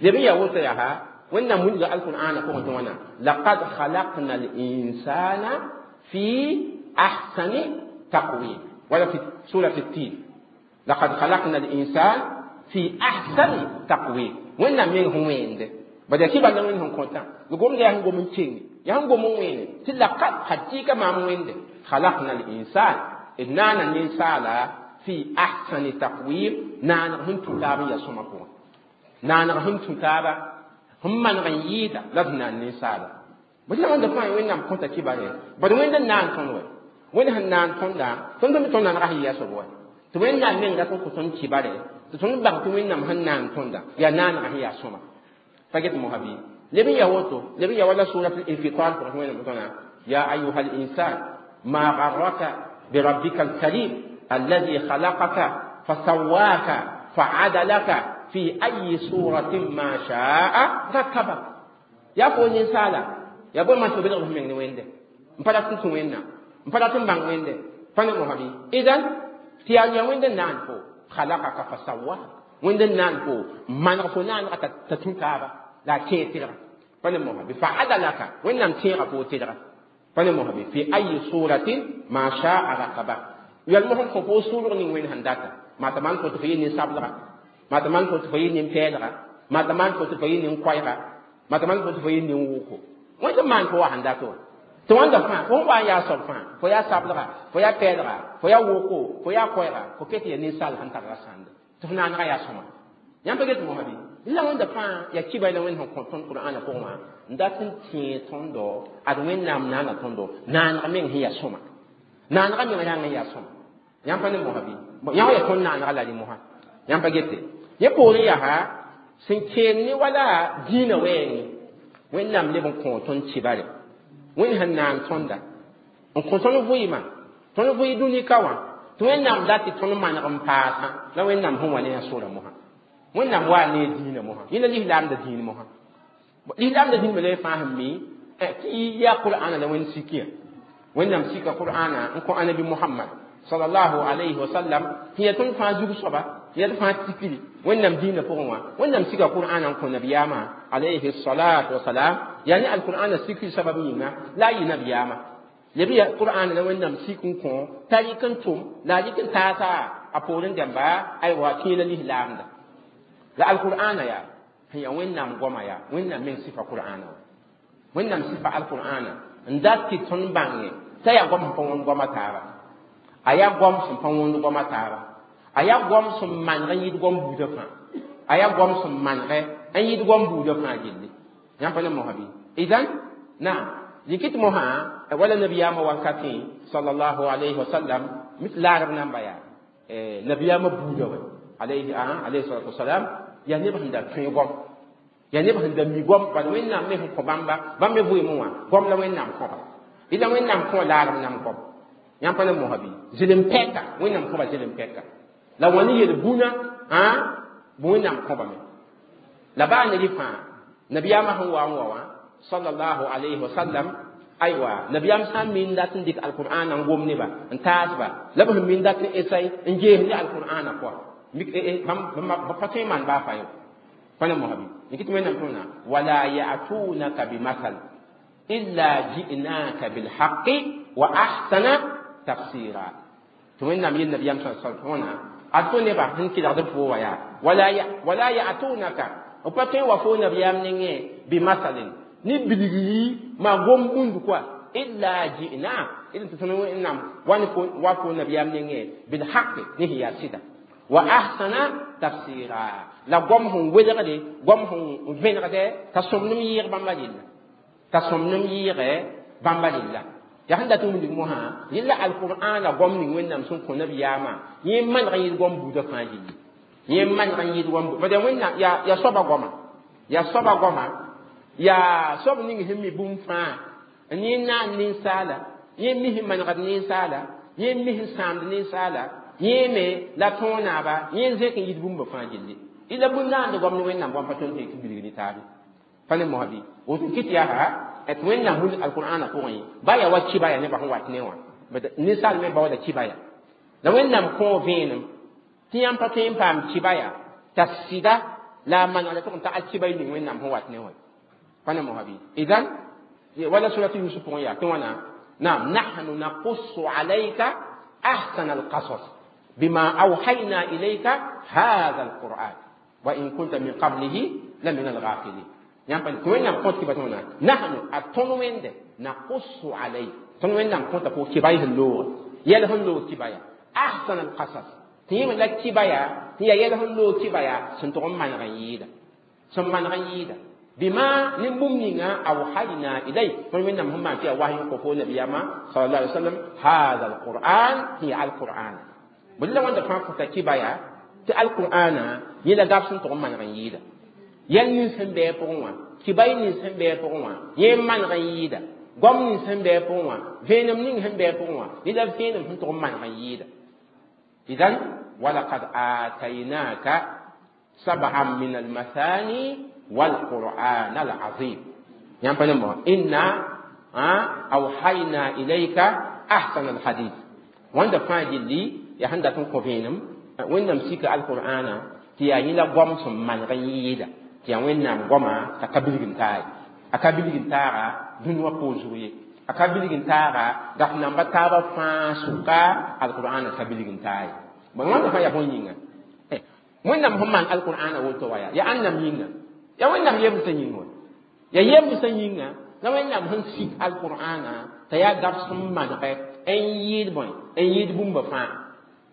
leb n yaa woto yaa wẽnnaam wilga alqur'ana pʋgẽ tɩ wãna laqad khalaqna linsana fi ahsani taqwim wala fi surat tin laqad khalaqna linsan fi ahsani taqwim wẽnnaam meng sẽn wẽende bad yaa kɩ bala wẽnd sẽn kõtã gomda yaa sẽn gom n kenge yaa sẽn gom n wẽene tɩ laqad hakɩɩka maam wẽnde khalaqna linsan d naana ninsaala fi ahsani taqwim naaneg sẽn tũ taab n yaa sõma pʋgẽ naaneg sẽn tũ taaba sẽn maneg n yɩɩda la d naan ninsaala bõe tɩ wãnda fãa wẽnnaam kõta kibare bad wẽnd n naan tõnd wɛ wẽnd sẽn naan tõnda tõnd me tõnd naanega sẽn yɩ a soab wɛ tɩ wẽnnaam meng dat n kõ tõnd kibare tɩ tõnd bãng tɩ wẽnnaam sẽn naan tõnda yaa naanega sẽn yaa sõma pa get mosã bɩ leb n yaa woto leb n yaa wala surat infitar pʋgẽ tɩ wẽnnaam tõna ya ayuha linsan ma garraka birabbika alkarim الذي خلقك فسواك فعدلك في أي صورة ما شاء ركبك يا فون إنسالا يا بو ما تبلغ من وين ده مفلا تنتو وين مفلا تنبان وين ده فانا مهبي إذن تيال يا وين ده نان فو خلقك فسواك وين ده نان فو ما نغفو نان تتنكابا لا كيتر فانا مهبي فعدلك وين نم تيغا فو تيغا فانا مهبي في أي صورة ما شاء ركبك يالمهم خفو صورة وين هنداتا ما تمان كنت في نساب ma tɩ maan fo tɩ fo yɩ nin-pɛɛlga ma tɩ maan fo tɩ fo yɩ nin-koɛɛga ma tɩ maan fo tɩ fo yɩ nin-wʋko wẽnd n maan fo wa sẽn dat wã tɩ wãnda fãa fo wa n yaa soab fãa fo yaa sablega fo yaa pɛɛlga fo yaa woko fo yaa koɛɛga fo ket yaa ninsaal sẽn tar rasãnda tɩ fo naanega yaa sõma yãmb pa get mosã bɩ la wẽnda fãa yaa kiba la wẽnd sẽn kõ tõnd qur'ana pʋgẽ wã n dat n tẽe tõndo ad wẽnnaam naana tõndo naaneg meng sẽn yaa sõma naanega meng rãng n yaa sõma yãmb pa ne mosã bɩ yã wã yaa tõnd naanega la rẽ mosã yãmb pa gete yẽ poorẽ yaa sẽn keen ne wala dĩinã wɛɛngẽ wẽnnaam leb n kõ tõnd kibare wẽnd sẽn naan tõnda n kõ tõnd vɩɩmã tõnd vɩɩ dũnika wã tɩ wẽnnaam dat tɩ tõnd maneg n paasã la wẽnnaam sẽn wa ne a sora mosã wẽnnaam waa ne dĩinã mosã yẽ la lislaamda dĩin mosã lislaamda dĩin la fãa sẽn mi tɩ yaa qur'ana la wẽnd sikiyã wẽnnaam sika qur'ana n kõ anabi muhammad sallallahu alayhi wa sallam tɩ yaa tõnd fãa zug soaba yaa d fãa tikri wẽnnaam dĩinã pʋgẽ wã wẽnnaam sika qur'ana n kõ nabiyaamã alayhi salatu wasalam yaa ne alqur'ana sikri sabab yĩnga la a yɩ nabiyaamã leb ya qur'ana la wẽnnaam sik n kõ t'a yik n tʋm la a yik n taasa a poorẽ dãmba aywa kẽela lislaamda la alqur'ana yaa sẽn yaa wẽnnaam goama yaa wẽnnaam meng sifa qur'ana wã wẽnnaam sifa alqur'ana n dat tɩ tõnd bãnge t'a yaa goam sẽn pa wõnd goama taaba a yaa goam sẽn pa wõnd goama taaba a yaa goam sẽn maneg n yɩd goam buudã fãa a yaa goam sẽn manegɛ n yɩd goam buudã fãa gilli yãmb pa ne mosã bɩ idan naam yikit mosã wala nabiyaamã wankatẽ sallallahu alayhi wa sallam mit laarb namba yaa nabiyaamã buudã wɛ alayhi alayhi salatu wasalam yaa neb sẽn da tõe goam yaa neb sẽn da mi goam bala wẽnnaam me sẽn kõ bãmba bãmb me vɩɩmẽ wã goam la wẽnnaam kõba ila wẽnnaam kõ laarb nam goam yãmb pa ne mosã bɩ zɩlem pɛka wẽnnaam kõba zɩlem pɛka la wã ne yel bũna bõ wẽnnaam kõbame la baa ne rɩ fãa Nabiyama sẽn wa n wa wã sallallahu alayhi wa sallam, aywa, nabiyam sã n min dat n dɩk alqur'ana n gom neba n taasba, la b sẽn min dat n esai n gees ne alqur'ana pʋa bãmb pa tõe n maan baa fa yo. Pa ne mosabi n kɩt Wẽnnaam tõna wala ya'tunaka bimasal illa ji'naka bilhaqi wa ahsana tafsira. Tɩ Wẽnnaam yel nabiyam sa sal tõna a tõ nebã sẽn kelgd b fo wa yaa wala ya'tunaka, b pa tõe n wa fo nabiyam nengẽ bimasalin ni bilgri ma gom bũmb kɔa illa ji'na ila tɩ tõnd Wẽnnaam wa fo nabiyam nengẽ bilhaqi ne sẽn yaa sɩda wa ahsana tafsira, la gom sẽn welgde, gom sẽn vẽnegdɛ t'a sõmnem yɩɩg bãmba rella, t'a sõmnem yɩɩgɛ bãmba rella. Yaa sẽn dat n wilg mosã yella alqur'ana gom ning Wẽnnaam sẽn kõ nabiyaamã yẽ maneg n yɩɩd gom buudã fãa gilli, yẽ maneg n yɩɩd gom bad Wẽnnaam yaa soaba goama, yaa soaba goama, yaa soab ning sẽn mi bũmb fãa n yẽ naan ninsaala, yẽ mi sẽn manegd ninsaala, yẽ mi sẽn sãamd ninsaala, yẽ me la tõog naaba, yẽ zẽk n yɩɩd bũmba fãa gilli. Ila bũn naand goam ne Wẽnnaam goam pa tõnd tɩ bilg ne taabe. Pa ne mosabi woto kɩt yaa tɩ Wẽnnaam wilg alqur'ana pʋgẽ ba yaa wa kiba ya nebã sẽn wat ne wã, ninsaal me baooda kiba ya la Wẽnnaam kõo vẽenem tɩ yãmb pa tõe n paam kiba ya t'a sɩda la a manegda tʋg n tag kiba y ning Wẽnnaam sẽn wat ne wã. Pa ne mosabi idan wala suratu Yusuf pʋgẽ yaa tɩ wãna naam nahnu naqussu alayka ahsana alqasas bima awhayna ilayka hadha alquran wa in kunta min qablihi la min alghafilin. Yãmb pa tɩ Wẽnnaam kõt kiba tɩ wãna nahnu a tõnd Wẽnde naqussu alayk, tõnd Wẽnnaam kõta fo kiba y sẽn looga yɛl sẽn loog kiba ya ahsan alqasas, tɩ yẽ me la kiba ya tɩ yaa yɛl sẽn loog kiba ya sẽn tʋg n maneg n yɩɩda, sẽn maneg n yɩɩda bima ne bũmb ninga awhayna ilayk, tõnd Wẽnnaam sẽn maan tɩ yaa wahy n kõ fo nabiyama sallallahu alaihi wasallam hadha alquran tɩ yaa alqur'ana. Bõe la wãnda fãa kõta kiba ya tɩ alqur'ana yẽ la gab sẽn tʋg n maneg n yɩɩda yɛl nins sẽn bɩ a pʋgẽ wã, kibay nins sẽn bɩ a pʋgẽ wã, yẽ maneg n yɩɩda goam nins sẽn bɩ a pʋgẽ wã, vẽenem ning sẽn bɩ a pʋgẽ wã, yẽ la vẽenem sẽn tʋg n maneg n yɩɩda. Idan walaqad ataynaka sab'an min almathani walqur'an alazim. Yãmb pa ne mo inna awhayna ilayka ahsana alhadith. Wãnda fãa gilli yaa sẽn dat n kõ vẽenem Wẽnnaam sika alqur'ana tɩ yaa yẽ la goam sẽn maneg n yɩɩda tɩ yaa Wẽnnaam goama t'a ka bilg n taa ye, a ka bilg n taaga dũni wã poor zug ye, a ka bilg n taaga gaf namba taabã fãa sʋka alqur'ana ka bilg n taa ye. Bõe wãnda fãa yaa bõn yĩnga Wẽnnaam sẽn maan alqur'ana woto wa yaa ãnnam yĩnga, yaa Wẽnnaam yemsã yĩng wa, yaa yemsã yĩnga la Wẽnnaam sẽn sik alqur'ana t'a yaa gaf sẽn manegɛ n yɩɩd bõe n yɩɩd bũmba fãa.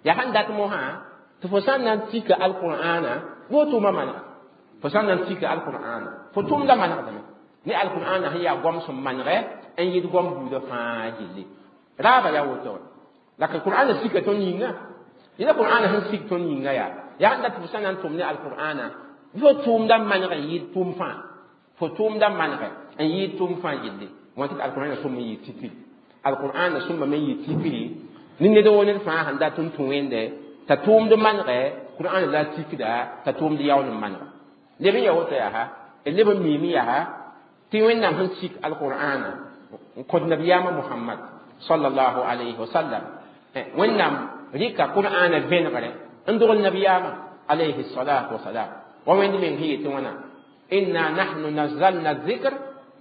Yaa sẽn dat mosã tɩ fo sã n na n tika alqur'ana bɩ fo tʋʋma manega, fo sã n na n tika alqur'ana fo tʋʋmda manegdame ne alqur'ana sẽn yaa goam sẽn manegɛ n yɩɩd goam buudã fãa gilli. Raaba yaa woto la ka qur'ana sika tõnd yĩnga, yẽla qur'ana sẽn sik tõnd yĩnga yaa yaa sẽn dat tɩ fo sã n na n tʋm ne alqur'ana bɩ fo tʋʋmda maneg n yɩɩd tʋʋm fãa, fo tʋʋmda manegɛ n yɩɩd tʋʋm fãa gilli. Wã tɩ alqur'ana sõm n yɩ tikiri, alqur'ana sõmbame n yɩ tikiri ne ned woo ned fãa sẽn dat n tũ Wẽnde t'a tʋʋmd manegɛ qur'ana la tikda t'a tʋʋmd yaool n manega. Leb n yaa woto yaa d leb n miime yaa tɩ Wẽnnaam sẽn sik alqur'ana n kõt nabiyaamã Muhammad sallallahu alayhi wa sallam, Wẽnnaam rɩka qur'ana vẽnegre n dogl nabiyaamã alayhi salatu wasalam wa Wẽnd meng sẽn yetɩ wãna inna nahnu nazzalna dhikr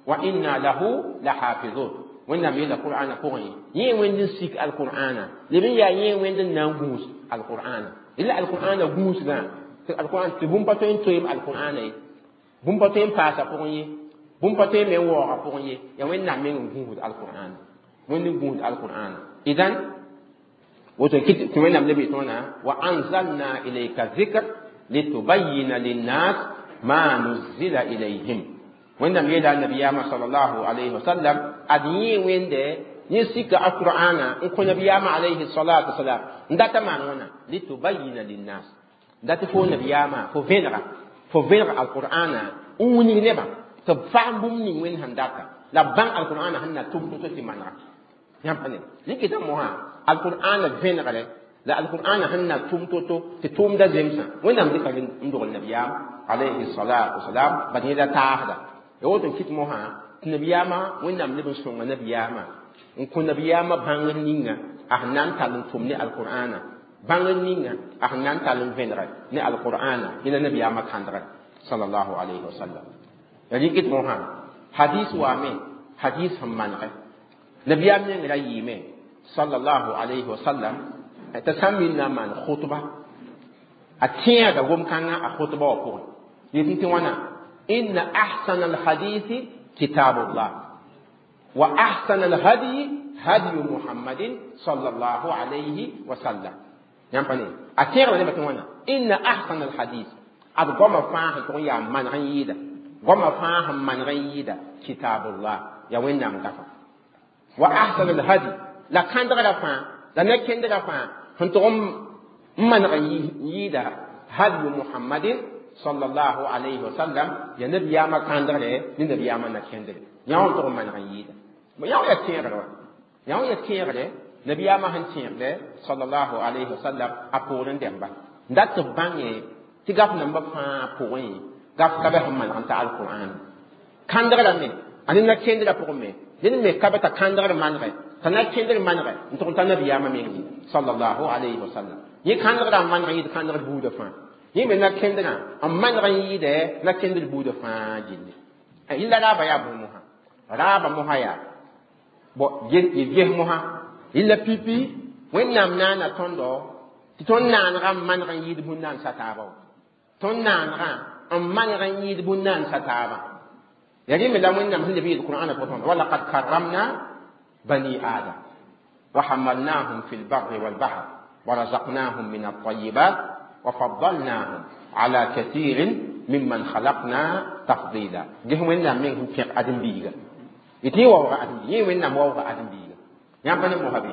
wa inna lahu lahafizun. Wẽnnaam yeela qur'ana pʋgẽ yẽ Wẽnd n sik alqur'ana leb n yaa yẽ Wẽnd n na n gũus alqur'ana ila alqur'ana gũusgã tɩ alqur'an tɩ bũmb pa tõe n toeem alqur'ana ye, bũmb pa tõe n paasa pʋgẽ ye, bũmb pa tõe n me n waooga pʋgẽ ye, yaa Wẽnnaam meng n gũusd alqur'ana, Wẽnd n gũusd alqur'ana. Idan woto kɩt tɩ Wẽnnaam leb yetɩ wãna wa anzalna ilayka dhikr litubayina linnas ma nuzila ilayhim. Wẽnnaam yeela nabiyaamã sallallahu alayhi wa sallam ad yẽ Wẽnde yẽ sika alqur'ana n kõ nabiyaamã alayhi salatu wasalam n data maan wãna litubayina linnas, dat fo nabiyaamã fo vẽnega, fo vẽneg alqur'ana n wilg nebã tɩ b faam bũmb ning Wẽnd sẽn data la b bãng alqur'ana sẽn na tʋm to tɩ manega. Yãmb pa ne rɩkɩta mosã alqur'ana vẽnegre La alqur'ana sẽn na tʋm to-to tɩ tʋʋmda zemsã Wẽnnaam dɩka n dogl nabiyaam alayhi salatu wasalam bad yẽla taasda ya woto n kɩt mosã tɩ nabiyaamã Wẽnnaam leb n sõnga nabiyaamã n kõ nabiyaamã bãngr ninga a sẽn na n tall n tʋm ne alqur'ana bãngr ninga a sẽn na n tall n vẽnegɛ ne alqur'ana yẽla nabiyaamã kãndgɛ sallallahu alayhi wa sallam. Ya rɩkɩt mosã hadis waame hadis sẽn manegɛ nabiyaam meng ra yɩɩme sallallahu alayhi wa sallam t'a sã n minna n maan khutba a tẽega gom-kãngã a khutba wã pʋgẽ yetɩ tɩ wãna inna ahsana alhadithi kitabullah wa ahsana alhadyi hadyu muhammadin sallallahu alayhi wa sallam. Yãmb pa ne a tẽegda nebã tɩ wãna inna ahsana alhadith ad goamã fãa sẽn tʋg n yaa maneg n yɩɩda goamã fãa sẽn maneg n yɩɩda kitabullah ya Wẽnnaam gafa wa ahsana alhadi la kãndgrã fãa la na-kendrã fãa sẽn tʋg n maneg n yɩɩda hadyu muhammadin sallallahu alayhi wa sallam ya nabiyaamã kãndgre ne nabiyaamã na-kendre yã wã n tʋg n maneg n yɩɩda yã wã yaa tẽegre wa yã wã yaa tẽegre nabiyaamã sẽn tẽegde sallallahu alayhi wa sallam a poorẽ dẽmba n dat tɩ b bãnge tɩ gaf nambã fãa pʋgẽ gaf ka bɛ sẽn maneg n ta alqur'an kãndgrã me a ne na-kendrã pʋgẽ me ned me ka bɛ t'a kãndgr manegɛ t'a na-kendr manegɛ n tʋg n ta nabiyaamã meng ye sallallahu alayhi wa sallam yẽ kãndgrã n maneg n yɩɩd kãndgr buudã fãa yẽ me na-kendrã n maneg n yɩɩdɛ na-kendr buudã fãa gilli yɩlla raaba yaa bõe mosã raaba mosã yaa bo ges mosã yɩlla pipi Wẽnnaam naana tõndo tɩ tõnd naanegã n maneg n yɩɩd bũn-naansa taaba wa tõnd naanegã n maneg n yɩɩd bũn-naansa taaba ya rẽ me la Wẽnnaam sẽn leb yeel Qur'ana pʋgẽ walaqad karramna bani adam wa hamalnahum fi lbarri walbahr wa razaqnahum min altayibat wa faddalnahum ala kathirin mimman khalaqna tafdila ges Wẽnnaam meng sẽn pẽg ãdem-biiga yetɩ yẽ waooga ãdem-biiga yẽ Wẽnnaam waooga ãdem-biiga yãmb pa ne mosa bɩ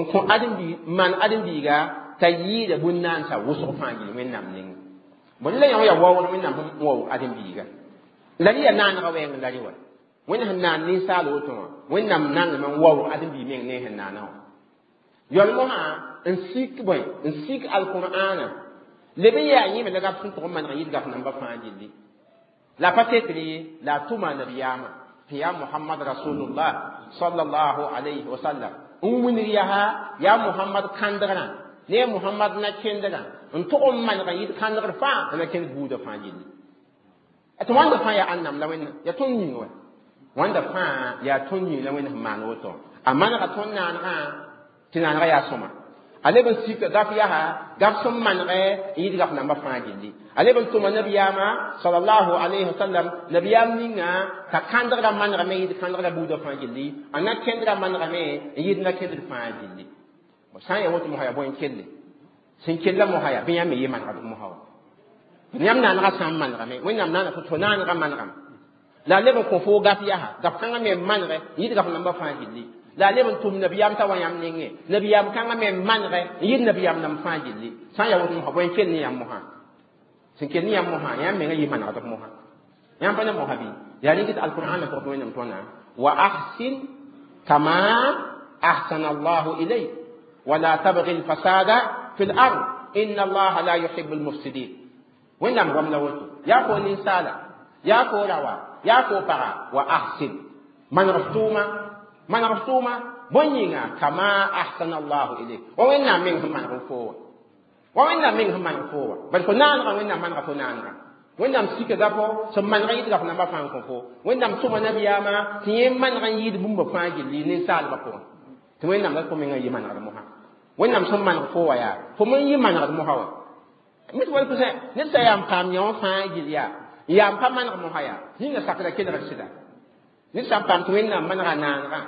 n kõ ãdem-biig maan ãdem-biiga t'a yɩɩda bũn-naansa wʋsg fãa gill Wẽnnaam nengẽ bõe la yã wã yaa waood Wẽnnaam sẽn waoog ãdem-biiga la rẽ yaa naanegã wɛɛng la rẽ wa Wẽnd sẽn naan ninsaal woto wã Wẽnnaam nangame n waoog ãdem-biig meng ne sẽn naana wã yɔl mosã n sik bõe n sik alqur'ana leb n yaa yẽme la gaf sẽn tʋg n maneg n yɩɩd gaf namba fãa gilli la pa tekr ye la a tʋma nabiyaamã tɩ yaa Muhammad rasulullah sallallahu alayhi wa sallam n wilg yaa yaa Muhammad kãndgrã ne Muhammad na-kendrã n tʋg n maneg n yɩɩd kãndgr fãa la na-kend buudã fãa gilli tɩ wãnda fãa yaa ãnnam la Wẽnnaam yaa tõnd yĩng wa wãnda fãa yaa tõnd yĩng la Wẽnd sẽn maan woto a manega tõnd naanegã tɩ naanegã yaa sõma a leb n sika gaf yaa gaf sẽn manegɛ n yɩɩd gaf nambã fãa gilli a leb n tʋma nabiyaamã sallallahu alayhi wa sallam nabiyaam ninga t'a kãndgrã manegame n yɩɩd kãndgrã buudã fãa gilli a na-kendrã manegame n yɩɩd na-kendr fãa gilli sã n yaa woto mosã yaa bõe n kelle sẽn kella mosã yaa bɩ yãmb me yɩ manegd mosã wa yãmb naanegã sã n manegame Wẽnnaam naana tɩ naanegã manegame la a leb n kõ foo gaf yaa gaf kãngã me n manegɛ n yɩɩd gaf nambã fãa gilli la a leb n tʋm nabiyaam t'a wa yãmb nengẽ nabiyaam kãngã me n manegɛ n yɩɩd nabiyaam nam fãa gilli sã n yaa woto mosã bõe n kell ne yãmb mosã sẽn kell ne yãmb mosã yãmb menga yɩ manegd f mosã yãmb pa ne mosã bɩ yaa rɩkɩt alqur'ana pʋgẽ tɩ Wẽnnaam tõna wa ahsin kama ahsana allahu ilayk wala tabgi lfasada fi lard inna allaha la yuhibu lmufsidin Wẽnnaam goam la woto yaa fo ninsaala yaa fo rawa yaa fo paga wa ahsin maneg f tʋʋma maneg f tʋʋma bõe yĩnga kama ahsana allahu ilayk wa Wẽnnaam meng sẽn maneg f fo wa wa Wẽnnaam meng sẽn maneg fo wa bad fo naanegã Wẽnnaam manega fo naanegã Wẽnnaam sika gafo sẽn maneg n yɩɩd gaf nambã fãa n kõ fo Wẽnnaam tʋma nabiyaamã tɩ yẽ maneg n yɩɩd bũmba fãa gilli ninsaalbã pʋgẽ tɩ Wẽnnaam la fo mengã yɩ manegd mosã Wẽnnaam sẽn maneg fo wa yaa fo men yɩ manegd mosã wa mit wal pʋsẽ ned sã yaa n paam yã wã fãa gill yaa yaa n pa maneg mosã yaa yĩnga sakra kelgd sɩda ned sã n paam tɩ Wẽnnaam manega naanegã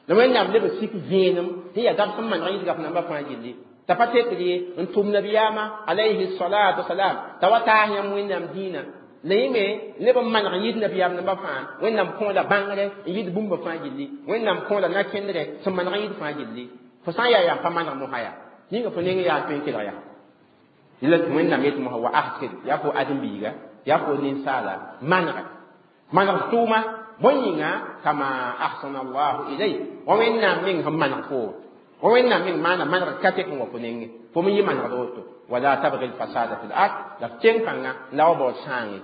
la Wẽnnaam leb n sik vẽenem tɩ yaa gaf sẽn maneg n yɩɩd gaf nambã fãa gilli t'a pa tekr ye n tʋm nabiyaamã alayhi salatu wasalam t'a wa taas yãmb Wẽnnaam dĩinã la yẽ me leb n maneg n yɩɩd nabiyaam nambã fãa Wẽnnaam kõola bãngre n yɩɩd bũmba fãa gilli Wẽnnaam kõola na-kẽndrɛ sẽn maneg n yɩɩd fãa gilli fo sã n yaa yaa n pa maneg mosã yaa yĩnga fo neng yaa tõe n kelg yaa yẽla tɩ Wẽnnaam yet mosã wa ahsin yaa fo ãdem-biiga yaa fo ninsaala manega maneg tʋʋma bõe yĩnga kama ahsana allahu ilayk wa Wẽnnaam meng sẽn maneg fo wa Wẽnnaam meng maana manegr ka tek n wa fo nengẽ Fo me yɩ manegd woto wala tabgi lfasada fi l ard la f tẽng pãnga la wa baood sãange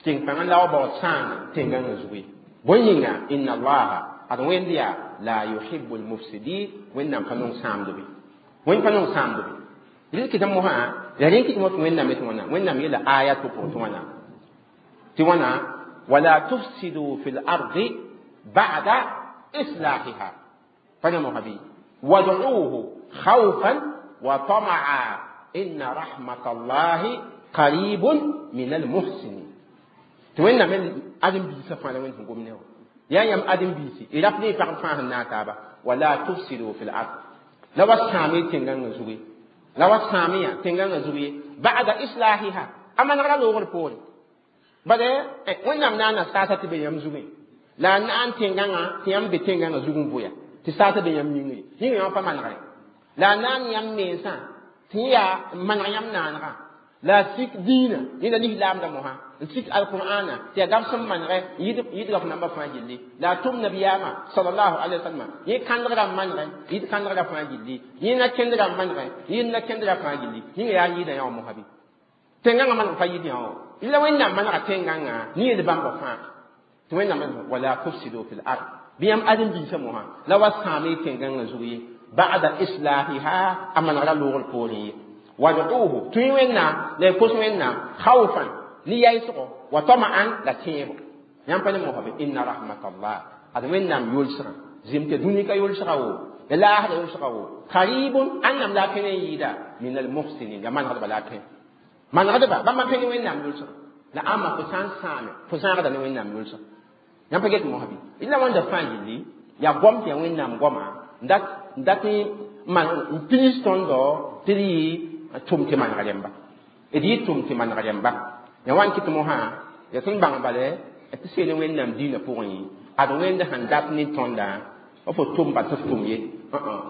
tẽng pãngã la wa baood sãanga tẽngãngã zugu ye bõe yĩnga inna allaha ad wẽnd yaa la yuhibu lmufsidin wẽnnaam pa nong sãamdbe wẽnd pa nong sãamdbe rɩl kɩtã mosã la rẽ kɩt tɩ wẽnnaam yetɩ wãna wẽnnaam yeela aya tɩ pʋgẽ tɩ wãna tɩ wãna wala tufsidu fi lardi bada islahiha pa ne mosã bɩ wad'uuhu khawfan wa tamaa inna rahmata allahi qaribun min almuhsinin tɩ wẽnnaam ãdem-biisã fãa la wẽnd sẽn gom ne wã yaa yãmb ãdem-biisi y rap ne y pagb fãa sẽn naag taaba wala tufsidu fi lard la wa sãame tẽngãngã zugu la wa sãame yã tẽngãngã zugu ye ba'da islahiha a manegra loogr poore bale wẽnnaam naana saasa tɩ be yãmb zugẽ la a naan tẽngãngã tɩ yãmb be tẽngãngã zug n vʋya tɩ saasa be yãmb yĩngre yĩngã yãmb pa manegre la a naan yãmb mensã tɩ yaa n maneg yãmb naanegã la a sik diinã yẽla lislaamda mosã n sik alqur'ana tɩ yaa gab sẽn manegɛ yɩdga f namba fãa gilli la a tʋm nabiyaamã salallahu alaihi wasallam yẽ kãndgra n manegɛ yɩd kãndgra fãa gilli yẽ na kẽndra n manegɛ yẽnd na kẽndra fãa gilli yĩnga yaa yɩɩda yã wã mosã bɩ tẽngãngã maneg pa yɩd yã wã la wẽnnaam manega tẽngãngã ne yel bãmba fãa tɩ wẽnnaam wala tufsidu fi l ard bɩ yãmb ãdem-biisã mosã la wa sãame tẽngãngã zug ye ba'da islahiha a manegra loogr poorẽ ye wad'uuhu tũi wẽnnaam la y kos wẽnnaam khawfan ne yaɩsgo wa tama'an la tẽebo yãmb pa ne mosã bɩ inna rahmatallah ad wẽnnaam yolsgã zɩm tɩ dũni ka yolsga wo la laasda yolsga wo qaribun ãnnam la a pẽn n yɩɩda min almuhsinin ya manegdba la a pẽ manegdba bãmba pẽn wẽnnaam yolsga la ãmba fo sã n sãame fo zãagda ne wẽnnaam yolsga yãmb pa get mosã bɩ la wãnda fãa gilli yaa goam tɩ yaa wẽnnaam goama n dat n pilis tõndo tɩ d yɩ tʋm tɩ maneg rẽmba d yɩ tʋm tɩ maneg rẽmba ya wan kɩt mosã ya sẽn bãng bale tɩ seel wẽnnaam diinã pʋgẽ ad wẽnd sẽn dat ne tõndã fo tʋm ba tɩ f tʋm ye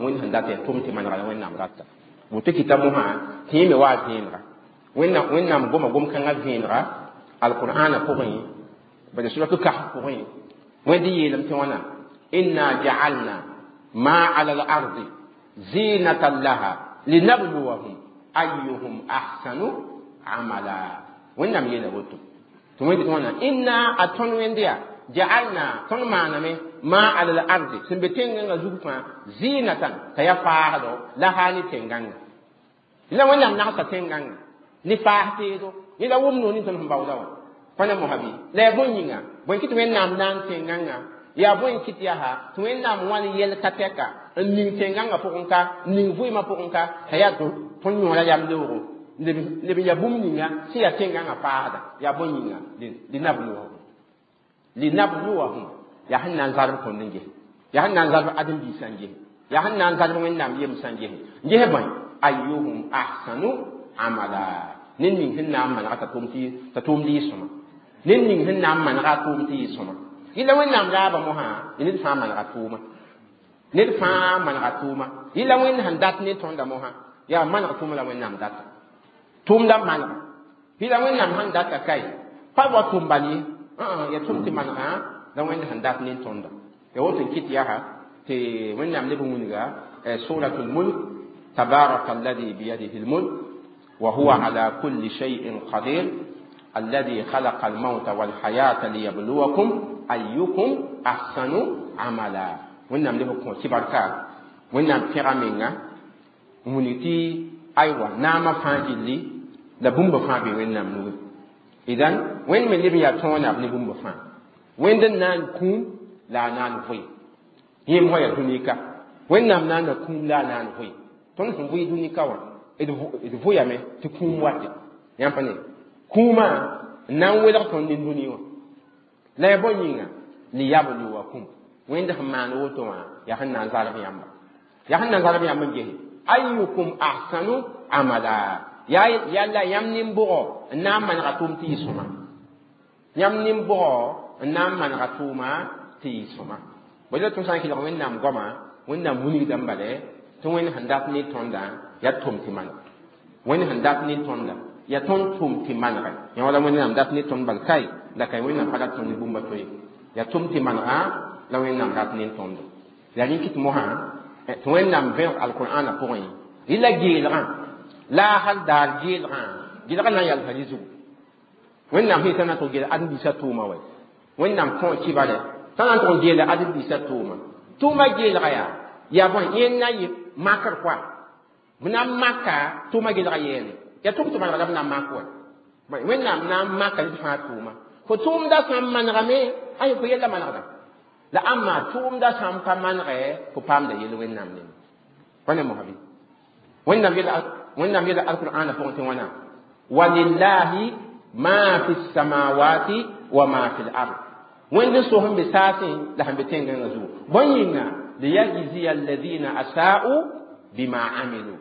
wẽnd sẽn dat yaa tʋm tɩ manega la wẽnnaam rata woto kɩta mosã tɩ yẽ me wa vẽenega wẽnnaam goma gom-kãngã vẽenega alqur'ana pʋgẽ bala surat kahf pʋgẽ wẽnd yeelame tɩ wãna inna ja'alna ma ala al-ardi zinatan laha linabluwahum ayyuhum ahsanu amala wẽnnaam yeela woto tɩ wẽnd tɩ wãna inna a tõnd wẽnd yaa ja'alna tõnd maaname ma ala al-ardi sẽn be tẽngãngã zug fãa zinatan t'a yaa faasdo laha ne tẽngãngã la wẽnnaam nagsa tẽngãngã ne faas teedo yẽ la wʋm noor ne tõnd sẽn baooda wã pa ne mosã bɩ la yaa bõe yĩnga bõe kɩ tɩ wẽnnaam na n tẽngãngã yaa bõe kɩt yaa tɩ wẽnnaam wãn yɛl ka tɛka n ning tẽngãngã pʋgẽ ka n ning vɩɩmã pʋgẽ ka t'a yaa tõnd yõora yam leoogo leb n yaa bũmb ninga sẽn yaa tẽngãngã paasda yaa bõe yĩnga linabluwahum yaa sẽn na n zarb tõnd n ges yaa sẽn na n zarb ãdem-biisã n ges yaa sẽn na n zarb wẽnnaam yemsã n ges n ges bõe ayyuhum ahsanu amala ned ning sẽn na n manega t'a tʋʋmd yɩ sõma ned ning sẽn na n manega a tʋʋm tɩ yɩ sõma yɩla wẽnnaam raaba mosã ned fãa manega tʋʋma ned fãa manega tʋʋma yɩla wẽnd sẽn dat ne tõnda mosã yaa maneg tʋʋma la wẽnnaam data tʋʋmda manega yɩla wẽnnaam sẽn data kae pa wa tʋm bal ye ya tʋm tɩ manegã la wẽnd sẽn dat ne tõnda ya woto n kɩt yaa tɩ wẽnnaam leb n wilga suratul mulk tabaraka alladi biyadihi lmulk wa huwa ala kulli shay'in qadir الذي خلق الموت والحياة ليبلوكم أيكم أحسن عملا wẽnnaam leb n kõ tɩ barka wẽnnaam pẽga menga n wilg tɩ aywa naamã fãa gilli la bũmba fãa be wẽnnaam nugẽ idan wẽnd me leb n yaa tõonab ne bũmba fãa wẽnd n naan kũum la a naan vʋɩ yẽ mosã yaa dũnika wẽnnaam naana kũum la a naan vʋɩ tõnd sẽn vʋɩ dũnika wã d vʋyame tɩ kũum wate yãmb pa ne kũumã n na n welg tõnd ne dũni wã la yaa bõe yĩnga liyabluwakum wẽnd sẽn maan woto wã yaa sẽn na n zarb yãmba yaa sẽn na n zarb yãmb n gese ayyukum ahsanu amala yaa yalla yãmb nin-bʋgɔ n na n manega tʋʋm tɩ yɩ sõma yãmb nin-bʋgɔ n na n manega tʋʋma tɩ yɩ sõma bõe la tõnd sã n kelg wẽnnaam goama wẽnnaam wilgdame bale tɩ wẽnd sẽn dat ne tõndã yaa tʋm tɩ maneg wẽnd sẽn dat ne tõnda yaa tõnd tʋm tɩ manegɛ yã wala wẽnnaam dat ne tõnd bal kae la ka wẽnnaam pa rat tõnd ne bũmba to ye yaa tʋm tɩ manegã la wẽnnaam rat ne tõndo la rẽ kɩt mosã tɩ wẽnnaam vẽeg alqur'ana pʋgẽ yɩ la geelgã La hal daar geelgã gelgã na n yalsa rɩ zugu. Wẽnnaam sẽn yetã na tʋg geel ãdem-biisã tʋʋma wɛ. Wẽnnaam kõ kibare t'a na n tʋg n geela ãdem-biisã tʋʋma. Tʋʋma geelga yaa bõe yẽnd na yɩ makr koa. B na n maka tʋʋma gelga yɛɛne. Yaa tʋm tɩ manega la b na n mak wɛ. Wẽnnaam na n maka ned fãa tʋʋma. Fo tʋʋmda sã n manegame, ay fo yella manegda. La ãmma tʋʋmda sã n pa manegɛ, fo paamda yel Wẽnnaam neng. Pa ne mosã bɩ? Wẽnnaam yeela alqur'ana pʋgẽ tɩ wãna: walillahi ma fi samawati wa ma fi l-ard. Wẽnd n so sẽn be saasẽ la sẽn be tẽn-gãngã zugu. Bõe yĩnga? Liyajziya alladhina asa'u bima amilu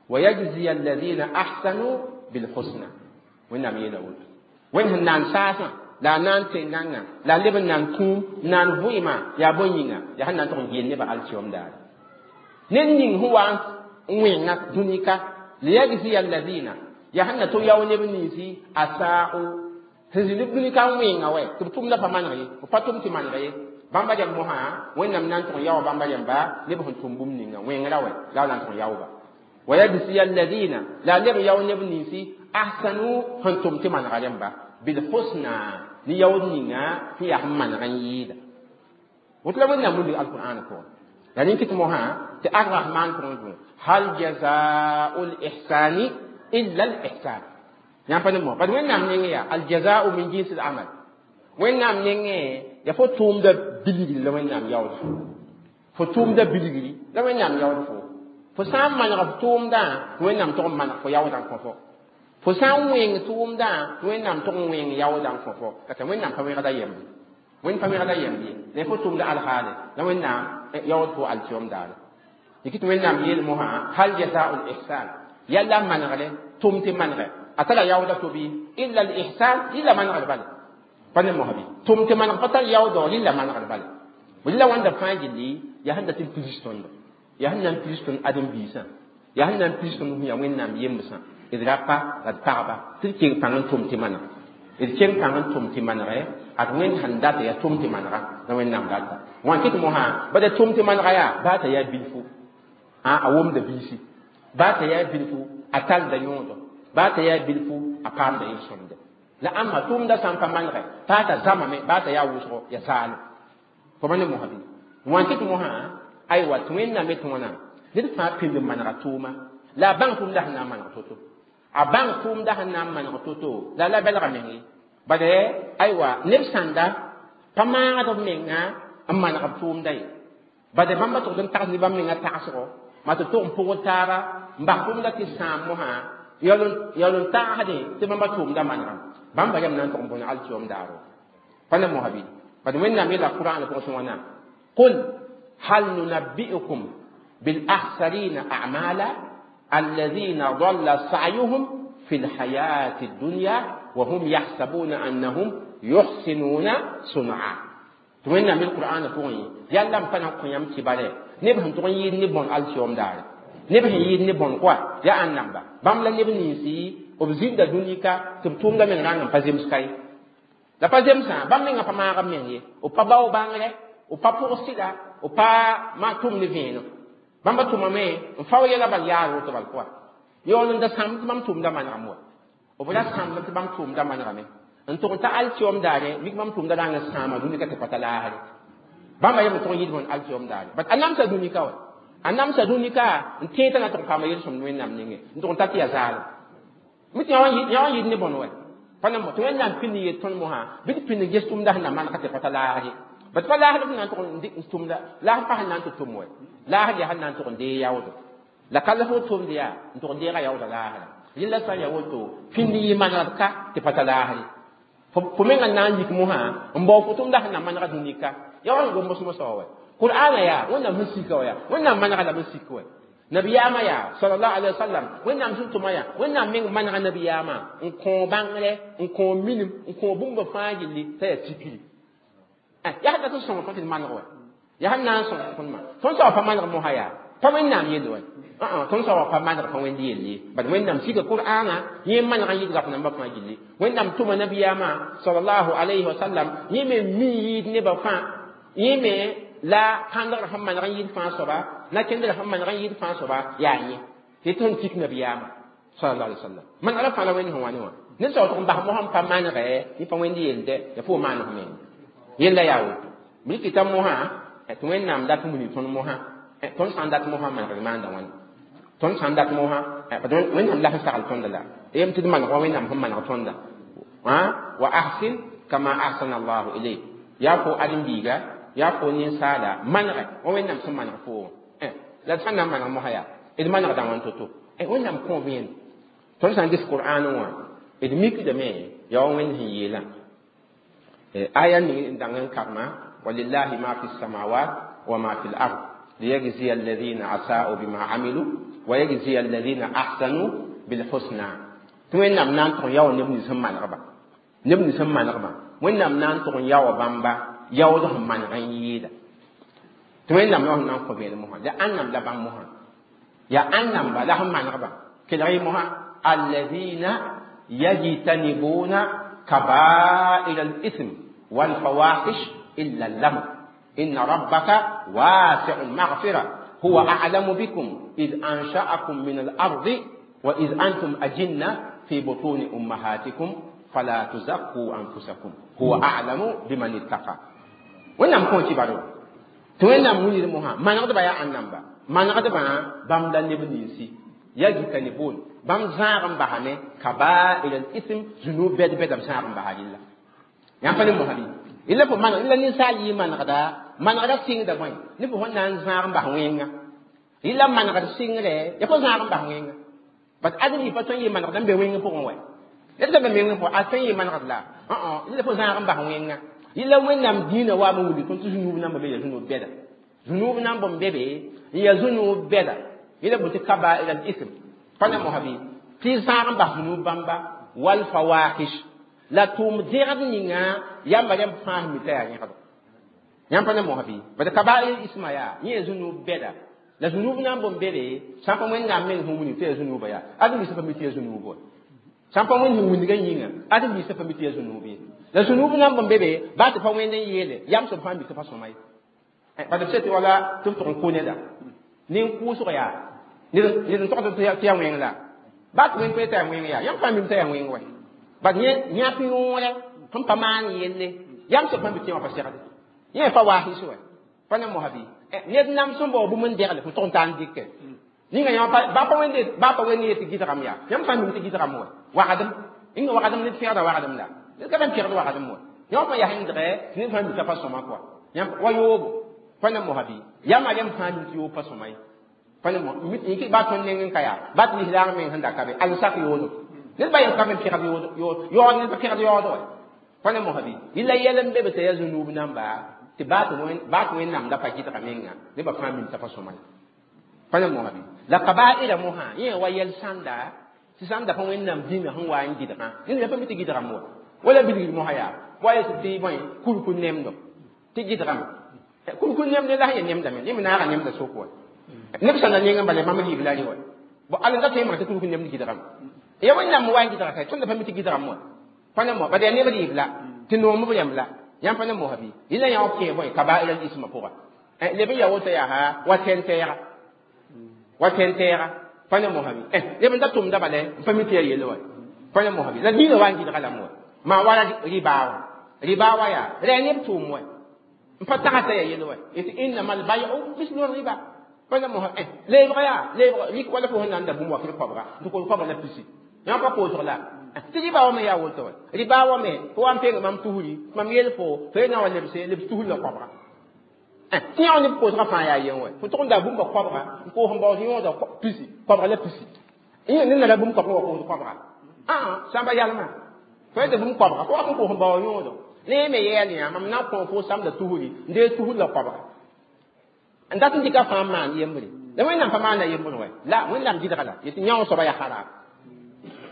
wa yajziya alladhina ahsanu bilhusna. Wẽnnaam yeela woto. Wẽnd sẽn naan saasã la a naan tẽn-gãngã la a leb n naan kũum naan vɩɩmã yaa bõe yĩnga? Yaa sẽn na n tʋg n geel nebã alkiom daare. Ned ning sẽn wa n wẽnga dũni ka, liyajziya alladhina, yaa sẽn na tʋg yao neb ninsi asa'u sẽn zĩnd dũni ka n wẽnga wɛ tɩ b tʋmda pa maneg ye, b pa tʋm tɩ maneg ye. Bãmba rẽmb mosã Wẽnnaam na n tʋg n yaoa bãmba rẽmba neb sẽn tʋm bũmb ninga wẽngrã wɛ la a na n tʋg n yaooba. Wa yajziya alladhina, la a leb n yao neb ninsi ahsanu sẽn tʋm tɩ manega rẽmba bilhusna ne yaood ninga sẽn yaa sẽn maneg n yɩɩda. Woto la Wẽnnaam wilg alqur'ana pʋgẽ. La rẽnd kɩt mosã tɩ arrahman pʋgẽ dũ hal jazau lihsani illa lihsan. Yãmb pa ne mosã bad Wẽnnaam nengẽ yaa aljazau min jinsi l amal. Wẽnnaam nengẽ yaa fo tʋʋmda bilgri la Wẽnnaam yaood fo. Fo tʋʋmda bilgri la Wẽnnaam yaood fo. Fo sã n maneg f tʋʋmdã, tɩ Wẽnnaam tʋg n maneg fo yaoodã n kõ fo. Fo sã n wẽng tʋʋmdã, tɩ Wẽnnaam tʋg n wẽng yaoodã n kõ fo. La tɩ Wẽnnaam pa wẽgda yembe. Wẽnd pa wẽgda yemb ye. La fo tʋʋmda alhaale la Wẽnnaam yaood fo alkiom daare. Dɩk tɩ Wẽnnaam yeel mosã hal jazau lihsan yalla manegre tʋm tɩ manegɛ a tara yaooda to bɩ illa lihsan rɩla manegr bale. Pa ne mosã bɩ? Tʋm tɩ maneg pa tar yaoodɔ rɩla manegr bale. Rɩla wãnda fãa gilli yaa sẽn dat n pirs tõndo. Yaa sẽn na n pirs tõnd ãdem-biisã. Yaa sẽn na n pirs tõnd sẽn yaa Wẽnnaam yembsã. D rapa la d pagba tɩ d keng pãng n tʋm tɩ maneg. D keng pãng n tʋm tɩ manegɛ ad Wẽnd sẽn data yaa tʋm tɩ manega la Wẽnnaam data. Wã kɩt mosã bala tʋm tɩ manega yaa baa t'a yaa bilfu a womda biisi, baa t'a yaa bilfu a talda yõodo, baa t'a yaa bilfu a paamda yel-sõmde. La ãmba tʋʋmda sã n pa manegɛ baa t'a zãmame, baa t'a yaa wʋsgo yaa zaalem. Fo pa ne mosã bɩ? Wã kɩt mosã aywa tɩ Wẽnnaam yetɩ wãna ned fãa pind n manega tʋʋma la a bãng tʋʋmda sẽn na n maneg to-to. A bãng tʋʋmda sẽn na n maneg to-to la la belga meng ye. Bala aywa neb sãnda pa maagd b menga n maneg b tʋʋmda ye. Bala bãmba tʋgd n tags ne bãmb menga tagsgo ma tɩ tʋg n pʋgd taaba n bas tʋʋmda tɩ sãam mosã yaool n tagsdẽ tɩ bãmba tʋʋmda manegame. Bãmba yam na n tʋg n bõne alkiom daaro. Pa ne mosã bɩ? Bad Wẽnnaam yeela Qur'an pʋgẽ tɩ wãna: qul hal nunabbi'ukum bil akhsarina a'mala alladhina dalla sa'yuhum fi lhayati dunya wa hum yahsabuna annahum yuhsinuna sun'a. Tɩ Wẽnnaam yel Qur'ana pʋgẽ yalla n pa na n kõ yãmb kibare neb sẽn tʋg n yɩɩd ne bõn alkiom daare. Neb sẽn yɩɩd ne bõn koa yaa ãnnamba bãmb la neb ninsi b zĩnda dũnika tɩ b tʋʋmda meng rãng n pa zems ka ye. La pa zemsã bãmb menga pa maag b meng ye. B pa bao bãngre, b pa pʋg sɩda, b pa ma tʋm ne vẽenem. Bãmba tʋmame n fao yɛla bal yaar woto bal koa. Yaool n da sãmb tɩ bãmb tʋʋmda manegame wa. B ra sãmb tɩ bãmb tʋʋmda manegame n tʋg n ta alkiom daare mik bãmb tʋʋmda rãng n sãama dũnika tɩ pa ta laasre. Bãmba yem n tʋg n yɩɩd bõn alkiom daare. Bat a namsa dũnika wa. A namsa dũnika n tẽe t'a na tʋg n paama yel-sõmd Wẽnnaam nengẽ n tʋg n ta tɩ yaa zaalem. Mi tɩ yã wã yɩɩd ne bõn wɛ. Pa na tɩ Wẽnnaam pĩnd n yet tõnd mosã bɩ tɩ pĩnd n ges tʋmda sẽn na manega tɩ pa ta laas ye. Bat pa laasd sẽn na n tʋg n tʋmda laasd pa sẽn na n tɩ tʋm wɛ. Laasd yaa sẽn na n tʋg n dee yaoodo. La ka la fo tʋmd yaa n tʋg n deega yaooda laasra. Rẽnd la sã n yaa woto pĩnd n yɩ manegd ka tɩ pa ta laasre. Fo menga na n yik mosã n bao fo tʋmda sẽn na manega dũnika. Yaa wa n gom mos-mosã wa wɛ. Qur'ana yaa Wẽnnaam sẽn sika wa yaa Wẽnnaam manega lame n sik wɛ. Nabiyaamã yaa sallallahu alaihi wasallam Wẽnnaam sẽn tʋma yaa Wẽnnaam meng manega nabiyaamã n kõ bãngre n kõ minim n kõ bũmba fãa gilli t'a yaa tikri. Yaa sẽn dat n sõng tõnd tɩ d maneg wɛ. Yaa sẽn na n sõng tõnd tõnd soaba pa maneg mosã yaa pa Wẽnnaam yell wɛ. Tõnd soaba pa maneg pa Wẽnd yell ye. Bad Wẽnnaam sika Qur'ana yẽ maneg n yɩɩd rap nambã fãa gilli. Wẽnnaam tʋma nabiyaamã sallallahu alaihi wasallam yẽ me mi yɩɩd nebã fãa yẽ me la kãndgr sẽn maneg n yɩɩd fãa soaba na kendr sẽn maneg n yɩɩd fãa soaba yaa yẽ. Tɩ tõnd tik nabiyaamã. Sallallahu alaihi wasallam. Manegda fãa la Wẽnd sẽn wa ne wã. Ned sao tɩg n bas mosã n pa manegɛ, yẽ pa Wẽnd yelde, ya fo maan f meng. Yella yaa woto. B rɩkɩta mosã tɩ Wẽnnaam dat n wilg tõnd mosã. Tõnd sã n dat mosã, manegd maanda wãni? Tõnd sã n dat mosã, Wẽnnaam la sẽn sagl tõnda la. Yem tɩ d maneg wa Wẽnnaam sẽn maneg tõnda. Wa ahsin kama ahsana Allahu ilayk. Yaa fo ãdem-biiga, yaa fo ninsaala, manegɛ wa Wẽnnaam sẽn maneg fo. La d sã n na n maneg mosã yaa, d manegda wãn to-to? Wẽnnaam kõ vẽenem. Tõnd sã n ges Qur'an wã, d mikdame yaa wa Wẽnd sẽn yeelã. Aya ning n dãng n karema: walillahi ma fi samawat wa ma fi l-ard liyajziya alladhina asa'u bima amilu wa yajziya alladhina ahsanu bilhusna. Tɩ Wẽnnaam na n tʋg n yaoog neb nins sẽn manegba. Neb nins sẽn manegba, Wẽnnaam na n tʋg n yaooga bãmba yaood sẽn maneg n yɩɩda. Tɩ Wẽnnaam la sẽn na n kõ vẽenem mosã, la ãnnam la bãmb mosã, yaa ãnnamba la sẽn manegba. Kelg y mosã: alladhina yajtanibuna kaba'ir al-ithm wal fawahish illa al-lam inna rabbaka wasi'u al-maghfira huwa a'lamu bikum id ansha'akum min al-ardi wa id antum ajinna fi butuni ummahatikum fala tuzakku anfusakum huwa a'lamu biman ittaqa. Wẽnnaam kõ tɩ baro tɩ Wẽnnaam wilgd mosã manegdbã yaa ãnnamba manegdbã bãmb la neb ninsi yajtanibun bãmb zãag n basame kaba'ir al-ithm zunub bɛd bɛda b zãag n basa rɩlla. Yãmb pa ne mosã bɩ? Yella fo maneg la ninsaal yɩ manegda, manegda sɩngda bõe ne fo sẽn na n zãag n bas wẽnga. Yella manegd sɩngre ya fo zãag n bas wẽnga. Bat ãdem yɩ pa tõe n yɩ manegda n be wẽng pʋgẽ wɛ. Ned sã n be wẽng pʋgẽ, a tõe n yɩ manegd la yella fo zãag n bas wẽnga. Yella Wẽnnaam dĩinã waam n wilg tõnd tɩ zunub namba be ya zunub bɛda. Zunub nan bõmb be be n ya zunub bɛda. Yella bõ tɩ kaba'ir al-ithm pa ne mosã bɩ? Tɩ zãag n bas zunub bãmba wal fawahish la tʋʋm dẽgd ninga yãmba rẽmb fãa sẽn mi t'a yaa yẽgd. Yãmb pa ne mosã bɩ? Bad kaba'ir isma yaa yẽ zunub bɛda. La zunub nan bõmb be be sã n pa Wẽnnaam meng sẽn wilg tɩ yaa zunuba yaa ãdem-biisã pa mi tɩ yaa zunub wa. Sã n pa Wẽnd sẽn wilgã yĩnga, ãdem-biisã pa mi tɩ yaa zunub ye. La zunub nan bõmb be be baa tɩ pa Wẽnd n yeele yam soab fãa mi tɩ pa sõma ye. Bad b tɩ wala tɩ b tʋg n kʋ neda nin-kʋʋsg yaa ned n togd tɩ yaa wẽng la baa tɩ wẽnd pa t'a yaa wẽng yaa yãmb fãa mim t'a yaa wẽng wɛ. Bad yãk yõore sẽn pa maan yelle yam soab fãa mi tɩ wã pa segde yẽ pa waahis wɛ pa ne mosã bɩ? Ned nam sẽn bao bũmb n degle fo tʋg n taa n dɩkɛ ninga yã baa pa Wẽnd baa pa Wẽnd yet tɩ gɩdgame yaa yãmb fãa mim tɩ gɩdgame wɛ wagdem inga wagdem ned pẽgda wagdem la ned ka bãn pẽgd wagdem wɛ yã pa yaa sẽn dgɛ tɩ ned fãa mi t'a pa sõma kɔa yãmb wa yoobo pa ne mosã bɩ? Yãmba rẽmb fãa mi tɩ yoob pa sõma ye pa ne mo baa tõnd neng n ka yaa baa tɩ lislaag meng sẽn da ka be al sak yoodo ned ba yem ka bẽn pẽgd yaood ned pa pẽgd yaood wɛ pa ne mosã bɩ? Yella yɛl n be be t'a yaa zunub namba tɩ baa tɩ Wẽnnaam da pa gɩdga menga nebã fãa mim t'a pa sõma ye pa ne mosã bɩ? La kaba'ira mosã yẽ wa yɛl sãnda tɩ sãn da pa Wẽnnaam dĩnã sẽn wa n gɩdgã ned pa mi tɩ gɩdgame wa wala bilgd mosã yaa wa yet tɩ bõe kurkur nemdo tɩ gɩdgame kurkur nemd la sẽn ya nemdame yẽ me naaga nemda sok wa neb sã na neng n bala bãmb rɩɩb la rɩ wa bo al n da tõe n mak tɩ kurkur nemd gɩdgame ya Wẽnnaam wa n gɩdga ka tõnd pa mi tɩ gɩdgame wa pa ne mo bad yaa neb rɩɩb la tɩ noom b rẽmb la yãmb pa ne mosã bɩ? Yella yã b kẽe bõe kaba'ir al-ismã pʋga leb n ya woto yaa ha wa tẽn-tɛɛga wa tẽn-tɛɛga pa ne mosã bɩ? Leb n da tʋmda bala n pa mi tɩ yaa yelle wa pa ne mosã bɩ? La dĩinã wa n gɩdga lame wa maa wala ribaa wa ribaa wa yaa rɛ neb tʋʋm wa n pa tagsã yaa yelle wa yetɩ innama albay'u mislu riba pa ne mosã. Leebga yaa leebga rik wala fo sẽn na n da bũmb wakr koabga tɩ kol koabga la pisi yã pa koosg la tɩ ribaa wa me yaa woto wa ribaa wa me fo wa n peng mam tusri mam yel fo fo ye na wa lebse lebs tusr la koabga tɩ yã neb koosgã fãa yaa yen wa fo tʋg n da bũmba koabga n koos n baoos yõoda pisi koabga la pisi ned na la bũmb koabga wa koos koabga ãa sãmba yalmã fo yeta bũmb koabga fo wa n koos n bao yõodo ne me yɛɛl yã mam na n kõ fo samda tusri n dee tusr la koabga n dat n dɩka fãa n maan yembre la Wẽnnaam pa maanda yembr wɛ la Wẽnnaam gɩdga la yetɩ yã soaba yaa haram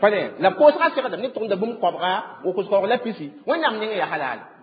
pa ne la koosgã segdame neb tʋgenda bũmb koabga wa kos koabg la pisi Wẽnnaam nengẽ yaa halal.